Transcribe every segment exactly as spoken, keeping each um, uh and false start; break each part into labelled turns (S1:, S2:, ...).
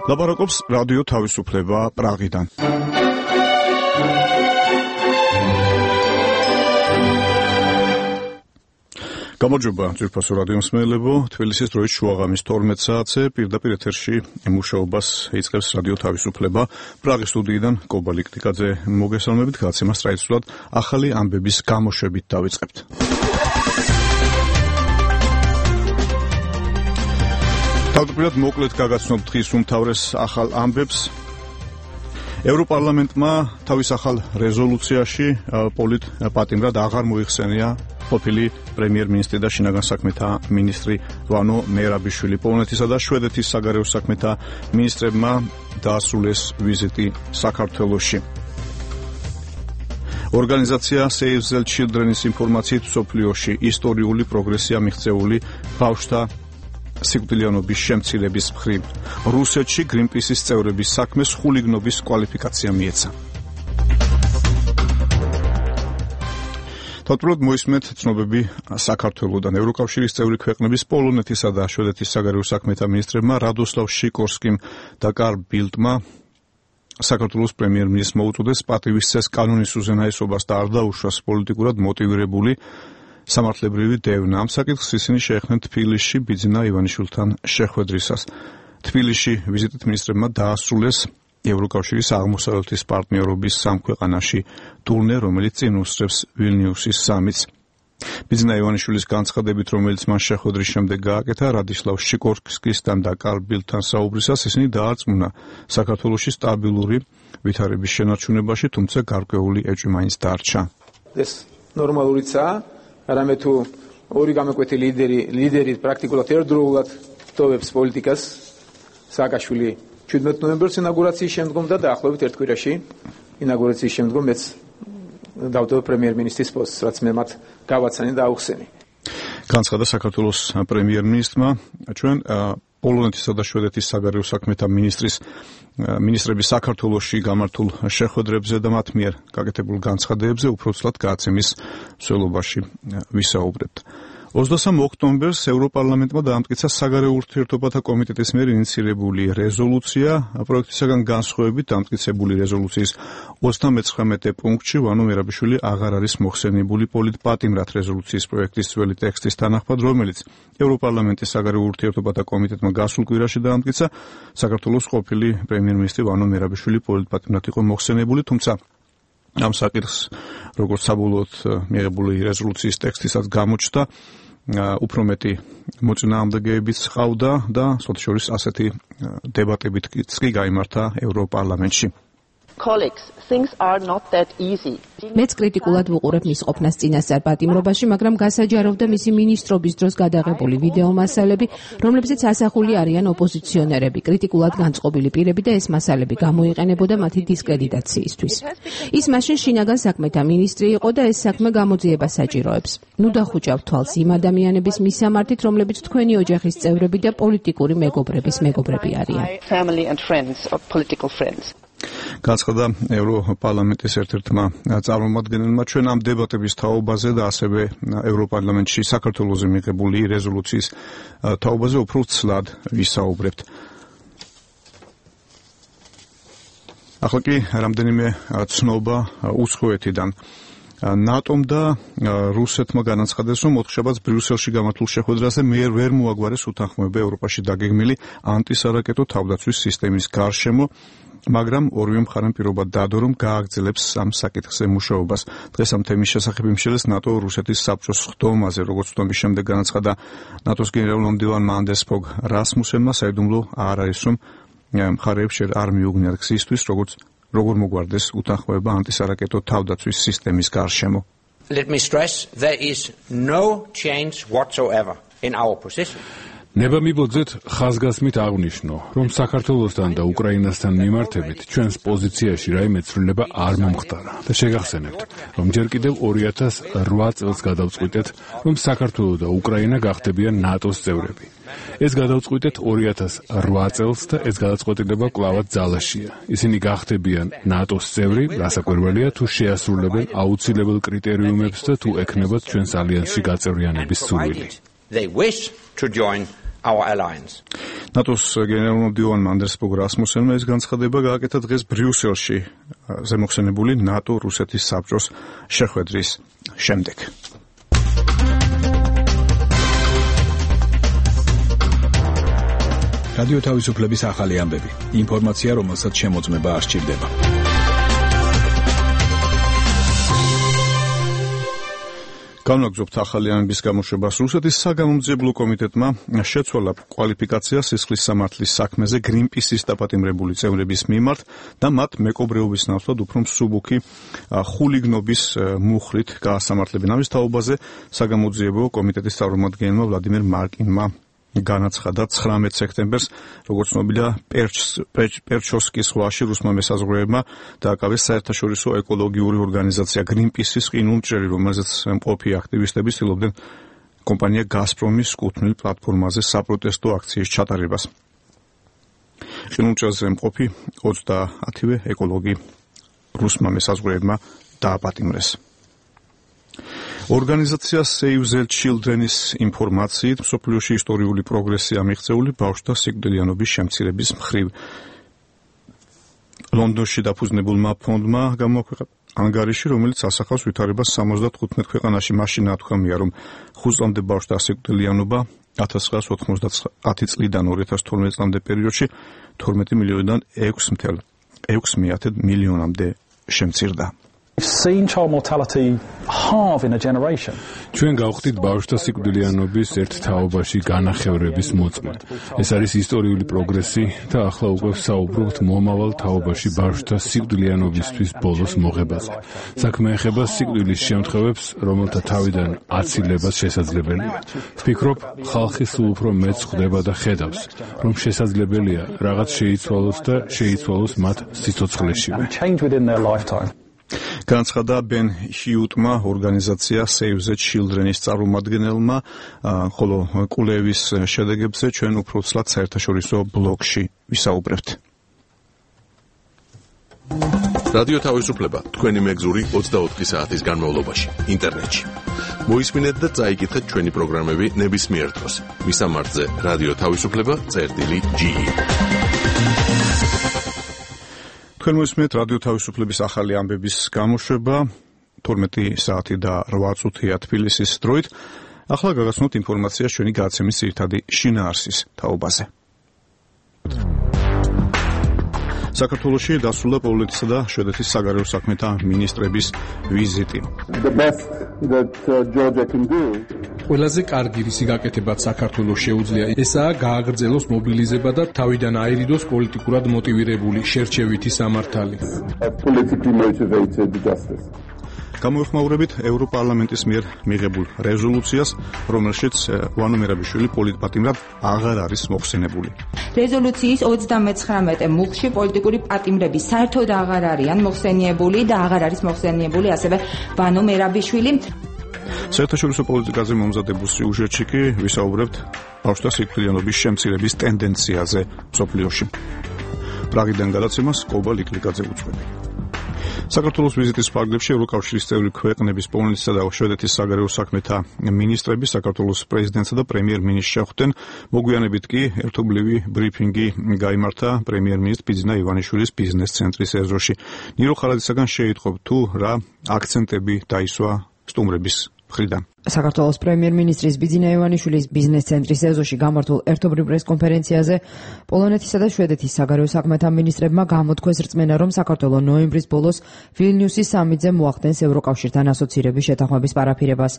S1: ლაპარაკობს რადიო თავისუფლება პრაღიდან. გამარჯობა ძვირფასო რადიო მსმენელებო, თბილისის დროით შუაღამის თორმეტ საათზე პირდაპირ ეთერში მუშაობას იწყებს რადიო თავისუფლება. პრაღის სტუდიიდან კობა ლიკტიკაძე მოგესალმებით, გადაცემას ტრადიციულად ახალი ამბების გამოშვებით დავიწყებთ. თავდაპირველად მოკლედ გაგაცნობთ დღის უმთავრეს ახალ ამბებს. ევროპარლამენტმა თავის ახალ რეზოლუციაში პოლიტ პატიმრად აღარ მოიხსენია ყოფილი პრემიერ-მინისტრი და შინაგან საქმეთა მინისტრი ვანო მერაბიშვილი. პოლონეთისა და შვედეთის საგარეო საქმეთა მინისტრებმა დაასრულეს ვიზიტი საქართველოში. ორგანიზაცია Save the Children-ის ინფორმაციით მსოფლიოში ისტორიული პროგრესია მიღწეული ბავშვთა სიკვდილიანობის შემცირების მხრივ. რუსეთში Greenpeace-ის წევრების საქმეს ხულიგნობის კვალიფიკაცია მიეცა. თავდაპირველად მოისმენთ ცნობები საქართველოდან. ევროკავშირის წევრი ქვეყნების პოლონეთისა და შვედეთის საგარეო საქმეთა მინისტრებმა რადოსლავ შიკორსკიმ და კარლ ბილდმა საქართველოს პრემიერ-მინისტრს მოუწოდეს პატივისცეს კანონის უზენაესობას და არ დაუშვას პოლიტიკურად მოტივირებული სამართლებრივი დევნა. ამ საკითხს ისინი შეეხნენ თბილისში ბიძინა ივანიშვილთან შეხვედრისას. თბილისში ვიზიტით მინისტრებმა დაასრულეს ევროკავშირის აღმოსავლეთის პარტნიორობის სამ ქვეყანაში ტურნე, რომელიც წინ უსწრებს ვილნიუსის სამიტს. ბიძინა ივანიშვილის განცხადებით, რომელიც მან შეხვედრის შემდეგ გააკეთა რადისლავ შიკორსკისთან და კარლ ბილდთან საუბრისას, ისინი დაარწმუნა საქართველოში სტაბილური ვითარების შენარჩუნებაში, თუმცა გარკვეული ეჭვი მაინც დარჩა.
S2: ეს ნორმალურიცაა, არამედ თუ ორი გამოკვეთი ლიდერი ლიდერი პრაქტიკულად ერთდროულად ტოვებს პოლიტიკას, სააკაშვილი შვიდმეტ ნოემბერს ინაugurაციის შემდგომ და დაახლოებით ერთ კვირაში ინაugurაციის შემდგომ მეც დავტოვე პრემიერ-მინისტრის პოსტს, რაც მე მათ გავაცანი და აუხსენი.
S1: განცხადა საქართველოს პრემიერ-მინისტრმა, ჩვენ პოლონეთისა და შვედეთის საგარეო საქმეთა მინისტრის მინისტრების საქართველოში გამართულ შეხვედრებზე და მათ მიერ გაკეთებულ განცხადებებზე უფრო ცუდად გადაცემის მსვლელობაში ვისაუბრებთ. ოცდასამ ოქტომბერს ევროპარლამენტმა დაამტკიცა საგარეო ურთიერთობათა კომიტეტის მიერ ინიციირებული რეზოლუცია. პროექტისაგან განსხვავებით დამტკიცებული რეზოლუციის ოცდამეცხრამეტე პუნქტში ვანო მერაბიშვილი აღარ არის მოხსენიებული პოლიტ პატიმრად რეზოლუციის პროექტის ძველი ტექსტის თანახმად, რომელიც ევროპარლამენტის საგარეო ურთიერთობათა კომიტეტმა გასულ კვირაში დაამტკიცა. საქართველოს ყოფილი პრემიერ-მინისტრი ვანო მერაბიშვილი პოლიტ პატიმრად იყო მოხსენიებული, თუმცა ამ საკითხს როგორც საბოლოოდ მიღებული რეზოლუციის ტექსტისაც გამოჩნდა უფრო მეტი მოწინააღმდეგეებიც ჰყავდა და სხვათა შორის ასეთი დებატებიც კი გაიმართა ევროპარლამენტში.
S3: მეც კრიტიკულად ვუყურებ მის ყოფნას წინასწარ პატიმრობაში, მაგრამ გასაჯაროვდა მისი მინისტრობის დროს გადაღებული ვიდეო მასალები, რომლებზეც ასახული არიან ოპოზიციონერები, კრიტიკულად განწყობილი პირები და ეს მასალები გამოიყენებოდა მათი დისკრედიტაციისთვის. ის მაშინ შინაგან საქმეთა მინისტრი იყო და ეს საქმე გამოძიებას საჭიროებს. ნუ დახუჭავ თვალს იმ ადამიანების მისამართით, რომლებიც თქვენი ოჯახის წევრები და პოლიტიკური მეგობრების მეგობრები არიან.
S1: განცხადა ევროპარლამენტის ერთ-ერთმა წარმომადგენელმა, ჩვენ ამ დებატების თაობაზე და ასევე ევროპარლამენტში საქართველოზე მიღებული რეზოლუციის თაობაზე უფრო ცლად ვისაუბრებთ. ახლა კი რამდენიმე ცნობა უცხოეთიდან. ნატომ და რუსეთმა განაცხადეს, რომ ოთხშაბათს ბრიუსელში გამართულ შეხვედრაზე მიერ ვერ მოაგვარეს უთანხმოება ევროპაში დაგეგმილი ანტისარაკეტო თავდაცვის სისტემის გარშემო, მაგრამ ორივე მხარემ პირობა დადო, რომ გააგრძელებს ამ საკითხზე მუშაობას. დღეს ამ თემის შესახებ იმშელეს ნატო რუსეთის საბჭოს ხდომაზე, როგორც ხდომის შემდეგ განაცხადა ნატოს გენერალ-მომდივანმა ანდერს ფოგ რასმუსენმა, საიდუმლო არ არის, რომ მხარეებს არ მიუგნიათ გზისთვის, როგორც როგორ მოგვარდეს უთანხმოება ანტისარაკეტო თავდაცვის სისტემის გარშემო.
S4: Let me stress, there is no change whatsoever in our position.
S5: ნებამიბოძეთ ხაზგასმით აღვნიშნო, რომ საქართველოსთან და უკრაინასთან მიმართებით ჩვენს პოზიციაში რაიმე ცვლილება არ მომხდარა და შეგახსენებთ, რომ ჯერ კიდევ ორი ათას რვა წელს გადავწყვიტეთ, რომ საქართველო და უკრაინა გახდებიან ნატოს წევრები. ეს გადავწყვიტეთ ორი ათას რვა წელს და ეს გადაწყვეტილება კვლავაც ძალაშია. ისინი გახდებიან ნატოს წევრი, რასაკვირველია თუ შეასრულებენ აუცილებელ კრიტერიუმებს და თუ ექნებათ ჩვენს ალიანსში გაწევრიანების სურვილი.
S4: They wish to join our alliance.
S1: ნატოს გენერალურმა მდივანმა ანდრეს ბოგ რასმუსენმა ეს განცხადება გააკეთა დღეს ბრიუსელში ზემოხსენებული ნატო-რუსეთის საბჭოს შეხვედრის შემდეგ.
S6: რადიო თავისუფლების ახალი ამბები. ინფორმაცია, რომელსაც შემოწმება არ სჭირდება.
S1: განვაგრძობთ ახალი ამბების გამოშვებას. რუსეთის საგამომძიებლო კომიტეტმა შეცვალა კვალიფიკაცია სისხლის სამართლის საქმეზე გრინპისის დაპატიმრებული წევრების მიმართ და მათ მეკობრეობის ნაცვლად უფრო მსუბუქი ხულიგნობის მუხლით გაასამართლებენ. ამის თაობაზე საგამომძიებლო კომიტეტის წარმომადგენელმა ვლადიმერ მარკინმა განაცხადა ცხრამეტ სექტემბერს, როგორც ცნობილია, პერჩოვსკის ზღვაში რუსმა მესაზღვრეებმა დააკავეს საერთაშორისო ეკოლოგიური ორგანიზაცია გრინპისის ყინულმჭრელი, რომელზეც მყოფი აქტივისტები ცდილობდნენ კომპანია გაზპრომის კუთვნილ პლატფორმაზე საპროტესტო აქციის ჩატარებას. ყინულმჭრელზე მყოფი ოცდაათივე ეკოლოგი რუსმა მესაზღვრეებმა დააპატიმრეს. ორგანიზაცია Save the Children-ის ინფორმაციით, მსოფლიოში ისტორიული პროგრესია მიღწეული ბავშვთა სიკვდილიანობის შემცირების მხრივ. ლონდონში დაფუძნებულმა ფონდმა გამოაქვეყნა ანგარიში, რომელიც ასახავს ვითარებას სამოცდათხუთმეტ ქვეყანაში. მაშინ ათქვამია, რომ ხუთ წლამდე ბავშვთა სიკვდილიანობა ათას ცხრაას ოცდაათი წლიდან ორი ათას თორმეტ წლამდე პერიოდში თორმეტი მილიონიდან ექვს მიათედ მილიონამდე შემცირდა.
S7: Seen child mortality halve in a generation.
S5: ჩვენ გავხდით ბავშვთა სიკვდილიანობის ერთ თაობაში განახევრების მოწმედ. ეს არის ისტორიული პროგრესი და ახლა უკვე ვსაუბრობთ მომავალ თაობაში ბავშვთა სიკვდილიანობისთვის ბოლოს მოღებაზე. საქმე ეხება სიკვდილის შემთხვევებს, რომელთა თავიდან აცილებას შესაძლებელია. ვფიქრობ, ხალხი სულ უფრო მეც ხვდება და ხედავს, რომ შესაძლებელია რაღაც შეიცვალოს და შეიცვალოს მათ სიცოცხლეშივე.
S1: განაცხადა ბენ ჰიუტმა, ორგანიზაცია Save the Children-ის წარმომადგენელმა, ხოლო კვლევის შედეგებზე ჩვენ უფრო ცლად საერთაშორისო ბლოგში ვისაუბრებთ.
S8: რადიო თავისუფლება თქვენი მეგზური ოცდაოთხი საათის განმავლობაში ინტერნეტში. მოისმინეთ და წაიკითხეთ ჩვენი პროგრამები ნებისმიერ დროს. მისამართზე რადიო თავისუფლება წერტილი ჯი ი.
S1: თქვენ მოისმენთ რადიო თავისუფლების ახალი ამბების გამოშვება თორმეტი საათი და რვა წუთია თბილისის დროით. ახლა გაგაცნოთ ინფორმაცია ჩვენი გადაცემის ძირითადი შინაარსის თაობაზე. საქართველოში დასრულდა პოლონეთისა და შვედეთის საგარეო საქმეთა მინისტრების ვიზიტი.
S9: ყველაზე კარგი რისი გაკეთებაც საქართველოს შეუძლია ესაა გააგრძელოს მობილიზება და თავიდან აირიდოს პოლიტიკურად მოტივირებული შერჩევითი სამართალი.
S1: გამოეხმაურებით ევროპარლამენტის მიერ მიღებულ რეზოლუციას, რომელშიც ვანო მერაბიშვილი პოლიტპატიმრად აღარ არის მოხსენებული.
S10: რეზოლუციის ოცდამეცხრამეტე მუხლში პოლიტიკური პატიმრები საერთოდ აღარ არიან მოხსენიებული და აღარ არის მოხსენიებული ასევე ვანო მერაბიშვილი.
S1: საერთაშორისო პოლიტიკაზე მომზადებულ სიუჟეტში კი ვისაუბრებთ ბავშვთა სიკვდილიანობის შემცირების ტენდენციაზე მსოფლიოში. პრაღიდან გადაცემას კობა ლიკლიკაძე უძღვები. საქართველოს ვიზიტის ფარგლებში ევროკავშირის წევრი ქვეყნების პოლონეთისა და შვედეთის საგარეო საქმეთა მინისტრები საქართველოს პრეზიდენტსა და პრემიერ-მინისტრს შეხვდნენ. მოგვიანებით კი ერთობლივი ბრიფინგი გაიმართა პრემიერ-მინისტრ ბიძინა ივანიშვილის ბიზნეს ცენტრის ეზოში. ნირო ხარაძისაგან შეიტყობ თუ რა აქცენტები დაისვა სტუმრების მხრიდან.
S3: საქართველოს პრემიერ-მინისტრის ბიძინა ივანიშვილის ბიზნეს ცენტრის ეზოში გამართულ ერთობლივ პრეს-კონფერენციაზე პოლონეთისა და შვედეთის საგარეო საქმეთა მინისტრებმა გამოთქვეს რწმენა, რომ საქართველო ნოემბრის ბოლოს ვილნიუსის სამიტზე მოახდენს ევროკავშირთან ასოცირების შეთანხმების პარაფირებას.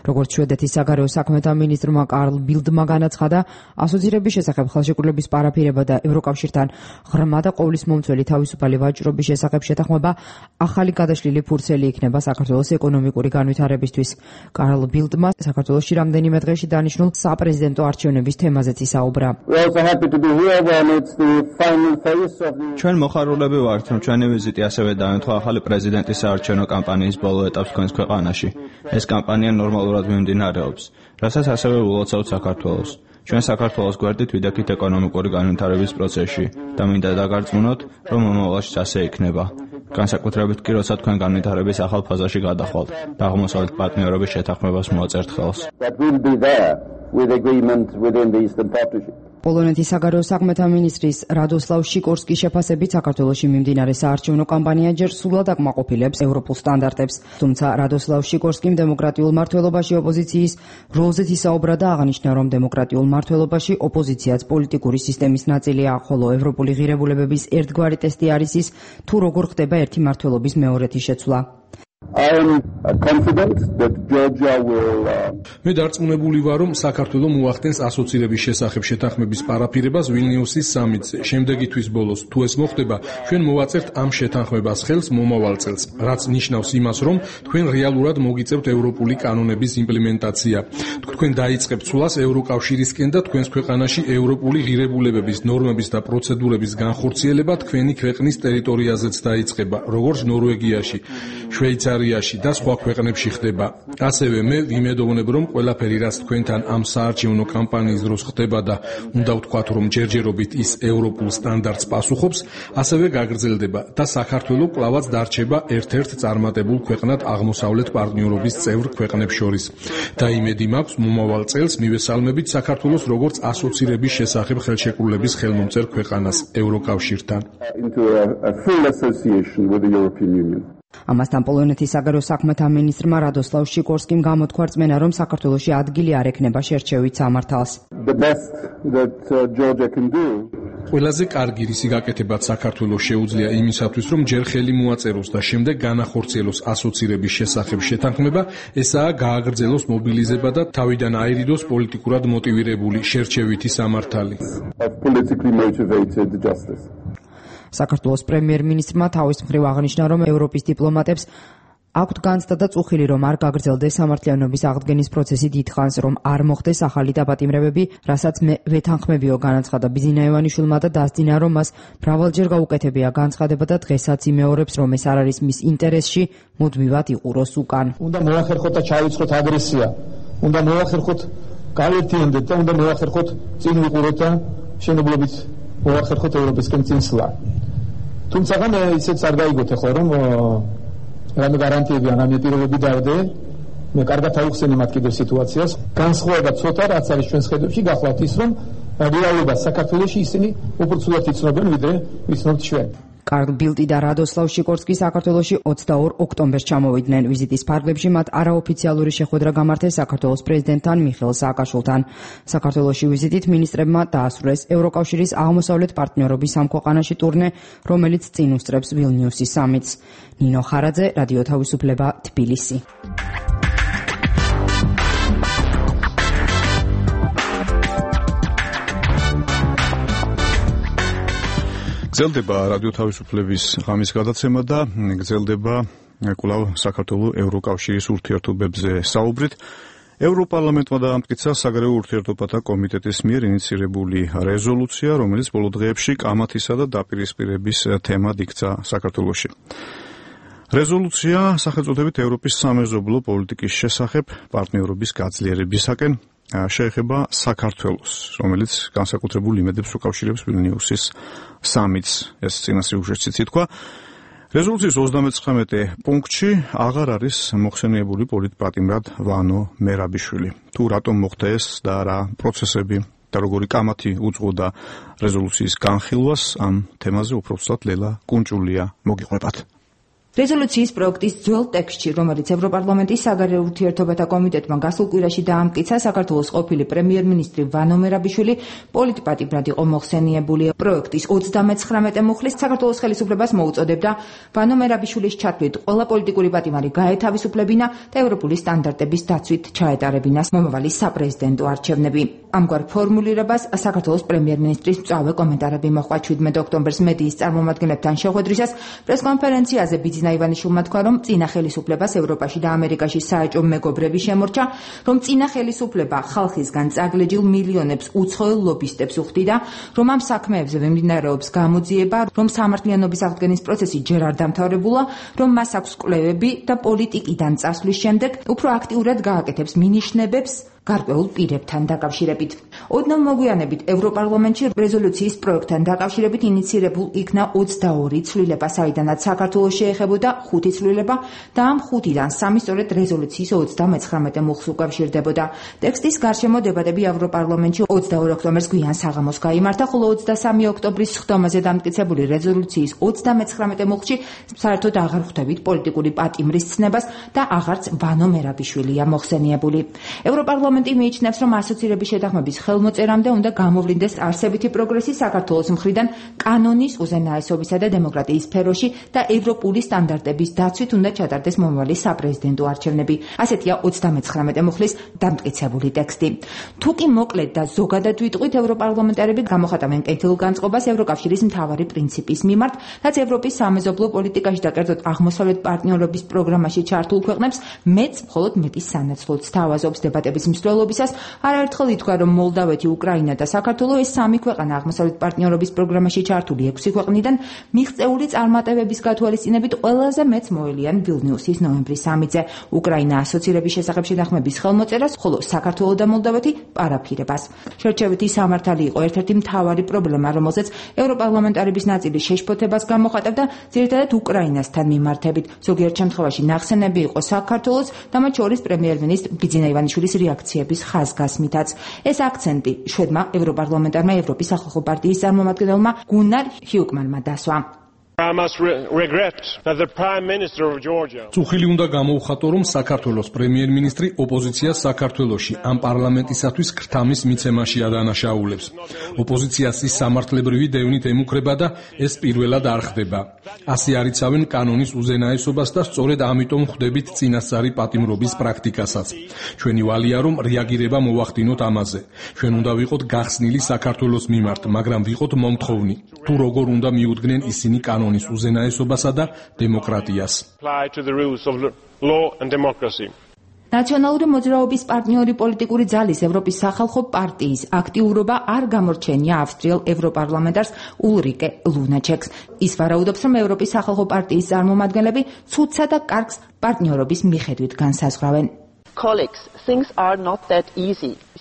S3: როგორც შვედეთის საგარეო საქმეთა მინისტრმა კარლ ბილდმა განაცხადა, ასოცირების შესახებ ხელშეკრულების პარაფირება და ევროკავშირთან ღრმა და ყოვლისმომცველი თავისუფალი ვაჭრობის შესახებ შეთანხმება ახალი გადაშლილი ფურცელი იქნება საქართველოს ეკონომიკური განვითარებისთვის. კარლ ბილდმა საქართველოში რამდენიმე დღეში დანიშნულ საპრეზიდენტო არჩევნების თემაზეც ისაუბრა.
S11: ჩვენ მოხარულები ვართ, რომ ჩვენი ვიზიტი ასევე დაემთხვა ახალი პრეზიდენტის საარჩევნო კამპანიის ბოლო ეტაპს თქვენს ქვეყანაში. ეს კამპანია ნორმალურად მიმდინარეობს, რასაც ასევე ულოცავთ საქართველოს. ჩვენ საქართველოს გვერდით ვიდექით ეკონომიკური განვითარების პროცესში და მინდა დაგარწმუნოთ, რომ მომავალშიც ასე იქნება. განსაკუთრებით კი როცა თქვენ განვითარების ახალ ფაზაში გადახვალთ და აღმოსავლეთ პარტნიორობის შეთანხმებას მოაწერთ ხელს.
S12: პოლონეთის საგარეო საქმეთა მინისტრის რადოსლავ შიკორსკის შეფასებით საქართველოში მიმდინარე საარჩევნო კამპანია ჯერ სრულად აკმაყოფილებს ევროპულ სტანდარტებს. თუმცა რადოსლავ შიკორსკიმ დემოკრატიულ მმართველობაში ოპოზიციის როლზეც ისაუბრა და აღნიშნა, რომ დემოკრატიულ მმართველობაში ოპოზიციაც პოლიტიკური სისტემის ნაწილია, ხოლო ევროპული ღირებულებების ერთგვარი ტესტი არის ის, თუ როგორ ხდება ერთი მმართველობის მეორეთი შეცვლა.
S13: I am confident that Georgia will
S9: მე დარწმუნებული ვარ, რომ საქართველო მოახდენს ასოცირების შესახებ შეთანხმების პარაფირებას ვილნიუსის სამიტზე. შემდეგი თვის ბოლოს, თუ ეს მოხდება, ჩვენ მოვაწერთ ამ შეთანხმებას ხელს მომავალ წელს, რაც ნიშნავს იმას, რომ თქვენ რეალურად მოგიწევთ ევროპული კანონების იმპლემენტაცია. თქვენ დაიწყებთ ცვლას ევროკავშირისკენ და თქვენს ქვეყანაში ევროპული ღირებულებების, ნორმების და პროცედურების განხორციელება თქვენი ქვეყნის ტერიტორიაზეც დაიწყება, როგორც ნორვეგიაში, შვეიცარიაში და სხვა ქვეყნებში ხდება. ასევე მე ვიმედოვნებ, რომ ყველაფერი, რაც თქვენთან ამ საარჩევნო კამპანიის დროს ხდება და უნდა ვთქვათ, რომ ჯერჯერობით ის ევროპულ სტანდარტს პასუხობს, ასევე გაგრძელდება და საქართველო კვლავაც დარჩება ერთ-ერთ წარმატებულ ქვეყნად აღმოსავლეთ პარტნიორობის წევრ ქვეყნებს შორის. და იმედი მაქვს, მომავალ წელს მივესალმებით საქართველოს როგორც ასოცირების შესახებ ხელშეკრულების ხელმომწერ ქვეყანას ევროკავშირთან.
S13: into a, a full association with the European Union.
S12: ამასთან პოლონეთის საგარეო საქმეთა მინისტრმა რადოსლავ შიკორსკიმ გამოთქვა რწმენა, რომ საქართველოში ადგილი არ ექნება შერჩევით სამართალს.
S13: The best that uh, Georgia can do
S9: ყველაზე კარგი რისი გაკეთებაც საქართველოს შეუძლია იმისათვის, რომ ჯერ ხელი მოაწეროს და შემდეგ განახორციელოს ასოცირების შესახებ შეთანხმება, ესაა გააგრძელოს მობილიზება და თავიდან აირიდოს პოლიტიკურად მოტივირებული შერჩევითი სამართალი.
S13: of politically motivated justice.
S12: საქართველოს პრემიერ-მინისტრმა თავის მხრივ აღნიშნა, რომ ევროპის დიპლომატებს აქვთ განცდა და წუხილი, რომ არ გაგრძელდეს სამართლიანობის აღდგენის პროცესი დიდხანს, რომ არ მოხდეს ახალი დაპატიმრებები, რასაც მე ვეთანხმებიო, განაცხადა ბიზინა ივანიშვილმა და დასძინა, რომ მას მრავალჯერ გაუკეთებია განცხადება და დღესაც იმეორებს, რომ ეს არ არის მის ინტერესში, მუდმივად იყუროს უკან.
S2: უნდა მოახერხოთ და ჩაივიწყოთ აგრესია. უნდა მოახერხოთ გავერთიანდეთ და უნდა მოახერხოთ წინ ვიყუროთ და შენებლობით მოახერხოთ ევროპისკენ წინსვლა. თუმცა მე ისეც არ გაიგოთ ახლა, რომ რამე გარანტიები ან რამე პირობები დავდე, მე კარგად ავხსენე მათ კიდევ სიტუაციას. განსხვავება ცოტა რაც არის ჩვენს ხედებში, გახლავთ ის, რომ რეალობა საქართველოში ისინი უფრო ცუდად იცნობენ, ვიდრე ვიცნობთ ჩვენ.
S12: კარლ ბილტი და რადოსლავ შიკორსკი საქართველოში ოცდაორ ოქტომბერს ჩამოვიდნენ. ვიზიტის ფარგლებში მათ არაოფიციალური შეხვედრა გამართეს საქართველოს პრეზიდენტთან მიხეილ სააკაშვილთან. საქართველოში ვიზიტით მინისტრებმა დაასრულეს ევროკავშირის აღმოსავლეთ პარტნიორობის ამ ქვეყანაში ტურნე, რომელიც წინ უსწრებს ვილნიუსის სამიტს. ნინო ხარაძე, რადიო თავისუფლება, თბილისი.
S1: გრძელდება რადიო თავისუფლების ღამის გადაცემა და გრძელდება კვლავ საქართველოს ევროკავშირის ურთიერთობებზე საუბრით. ევროპარლამენტმა დაამტკიცა საგარეო ურთიერთობათა კომიტეტის მიერ ინიცირებული რეზოლუცია, რომელიც ბოლო დღეებში კამათისა და დაპირისპირების თემად იქცა საქართველოში. რეზოლუცია სახელწოდებით ევროპის სამეზობლო პოლიტიკის შესახებ პარტნიორობის გაძლიერებისაკენ შეეხება საქართველოს, რომელიც განსაკუთრებულ იმედებს უკავშირებს ვილნიუსის სამიტს, ეს წინასრიგუშიც ითქვა. რეზოლუციის ოცდამეცხრამეტე პუნქტში აღარ არის მოხსენიებული პოლიტპატიმრად ვანო მერაბიშვილი. თუ რატომ მოხდა ეს და რა პროცესები და როგორი კამათი უძღვოდა რეზოლუციის განხილვას, ამ თემაზე უბრალოდ ლელა კუნჭულია მოგიყვებათ.
S10: რეზოლუციის პროექტის ძველ ტექსტში, რომელიც ევროპარლამენტის საგარეო ურთიერთობათა კომიტეტმა გასულ კვირაში დაამტკიცა, საქართველოს ყოფილი პრემიერ-მინისტრი ვანო მერაბიშვილი პოლიტპატიმრად იყო მოხსენიებული. პროექტის ოცდამეცხრამეტე მუხლის საქართველოს ხელისუფლებას მოუწოდებდა ვანო მერაბიშვილის ჩათვლით ყველა პოლიტიკური პატიმარი გაეთავისუფლებინა და ევროპული სტანდარტების დაცვით ჩაეტარებინა მომავალი საპრეზიდენტო არჩევნები. ამგვარ ფორმულირებას საქართველოს პრემიერ-მინისტრის მწვავე კომენტარები მოჰყვა ჩვიდმეტ ოქტომბერს მედიის წარმომადგენლებთან შეხვედრისას პრესკონფერენციაზე ბიძინა ივანიშვილმა თქვა, რომ წინა ხელისუფლებას ევროპაში და ამერიკაში საეჭვო მეგობრები შემორჩა, რომ წინა ხელისუფლება ხალხისგან წაგლეჯილ მილიონებს უცხოელ ლობისტებს უხდიდა, რომ ამ საქმეებზე მიმდინარეობს გამოძიება, რომ სამართლიანობის აღდგენის პროცესი ჯერ არ დამთავრებულა, რომ მას აქვს კვლევები და პოლიტიკიდან წასვლის შემდეგ უფრო აქტიურად გააკეთებს მინიშნებებს გარკვეულ პირებთან დაკავშირებით. ოდნავ მოგვიანებით ევროპარლამენტში რეზოლუციის პროექტთან დაკავშირებით ინიცირებულ იქნა ოცდაორი ცვლილება, საიდანაც საქართველოს შეეხებოდა ხუთი ცვლილება და ამ ხუთიდან სამი სწორედ რეზოლუციის ოცდამეცხრამეტე მუხლს უკავშირდებოდა. ტექსტის გარშემო დებატები ევროპარლამენტში ოცდაორ ოქტომბერს გვიან საღამოს გაიმართა, ხოლო ოცდასამი ოქტომბრის სხდომაზე დამტკიცებული რეზოლუციის ოცდამეცხრამეტე მუხლში საერთოდ აღარ ხვდებით პოლიტიკური პატიმრის ცნებას და აღარც ვანო მერაბიშვილია მოხსენიებული. ევროპარლამენტი მიიჩნევს, რომ ასოცირების შეთანხმების ხელმოწერამდე უნდა გამოვლინდეს არსებითი პროგრესი საქართველოს მხრიდან კანონის უზენაესობისა და დემოკრატიის სფეროში და ევროპული სტანდარტების დაცვით უნდა ჩატარდეს მომავალი საპრეზიდენტო არჩევნები. ასეთია ოცდამეცხრამეტე მუხლის დამტკიცებული ტექსტი. თუ კი მოკლედ და ზოგადად ვიტყვით, ევროპარლამენტარები გამოხატავენ კეთილ განწყობას ევროკავშირის მთავარი პრინციპის მიმართ, რაც ევროპის სამეზობლო პოლიტიკაში და კერძოდ აღმოსავლეთ პარტნიორობის პროგრამაში ჩართულ ქვეყნებს მეც მხოლოდ მეტის სანაცვლოდ სთავაზობს. დებატების მსვლელობისას არაერთხელ ითქვა, რომ მოლდავეთი, უკრაინა და საქართველო ეს სამი ქვეყანა აღმოსავლეთ პარტნიორობის პროგრამაში ჩართული ექვსი ქვეყნიდან მიღწეული წარმატებების გათვალისწინებით ყველაზე მეც მოელიან ვილნიუსის ნოემბრის სამზე. უკრაინა ასოცირების შესახებ შეთანხმების ხელმოწერას, ხოლო საქართველო და მოლდავეთი პარაფირებას. შერჩევითი სამართალი იყო ერთ-ერთი მთავარი პრობლემა, რომელზეც ევროპარლამენტარების ნაწილი შეშფოთებას გამოხატავდა, ძირითადად უკრაინასთან მიმართებით. ზოგიერთ შემთხვევაში ნახსენები იყო საქართველოს და მათ შორის პრემიერ-მინისტრ ბიძინა ივანიშვილის რეაქციების ხაზგასმითაც. ეს აქცენტი შვედმა ევროპარლამენტარმა ევროპის სახალხო პარტიის წარმომადგენელმა გუნარ ჰიუკმანმა დასვა.
S9: წუხილი უნდა გამოუხატო, რომ საქართველოს პრემიერ-მინისტრი ოპოზიციას საქართველოში ამ პარლამენტისათვის ქრთამის მიცემაში ადანაშაულებს. ოპოზიციას ის სამართლებრივი დევნით ემუქრება და ეს პირველად არ ხდება. ასე არიცავენ კანონის უზენაესობას და სწორედ ამიტომ ხვდებით წინასწარი პატიმრობის პრაქტიკასაც. ჩვენი ვალია, რომ რეაგირება მოვახდინოთ ამაზე. ჩვენ უნდა ვიყოთ გახსნილი საქართველოს მიმართ, მაგრამ ვიყოთ მომთხოვნი. თუ როგორ უნდა მიუდგნენ ისინი კანონის უზენაესობასა და დემოკრატიას.
S10: ნაციონალური მოძრაობის პარტნიორი პოლიტიკური ძალის ევროპის სახალხო პარტიის აქტიურობა არ გამორჩენია ავსტრიელ ევროპარლამენტარს ულრიკე ლუნაჩეკს. ის ვარაუდობს, რომ ევროპის სახალხო პარტიის წარმომადგენლები ცუდსა და კარგს პარტნიორობის მიხედვით განსაზღვრავენ.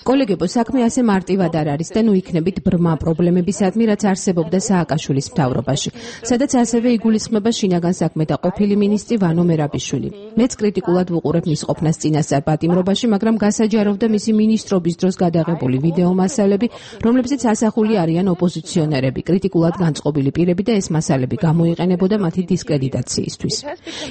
S10: კოლეგებო, საქმე ასე მარტივად არ არის და ნუ იქნებით ბრმა პრობლემებისადმი, რაც არსებობდა სააკაშვილის მთავრობაში, სადაც ასევე იგულისხმება შინაგან საქმეთა ყოფილი მინისტრი ვანო მერაბიშვილი. მეც კრიტიკულად ვუყურებ მის ყოფნას წინასწარ პატიმრობაში, მაგრამ გასაჯაროვდა მისი მინისტრობის დროს გადაღებული ვიდეო მასალები, რომლებზეც ასახული არიან ოპოზიციონერები, კრიტიკულად განწყობილი პირები და ეს მასალები გამოიყენებოდა მათი დისკრედიტაციისთვის.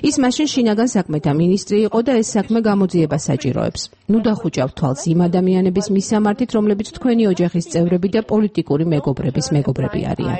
S10: ის მაშინ შინაგან საქმეთა მინისტრი იყო და ეს საქმე გამოძიებას საჭიროებს. ნუ დახუჭავთ თვალს იმ ადამიანების მისამართით, რომლებიც თქვენი ოჯახის წევრები და პოლიტიკური მეგობრების მეგობრები არიან.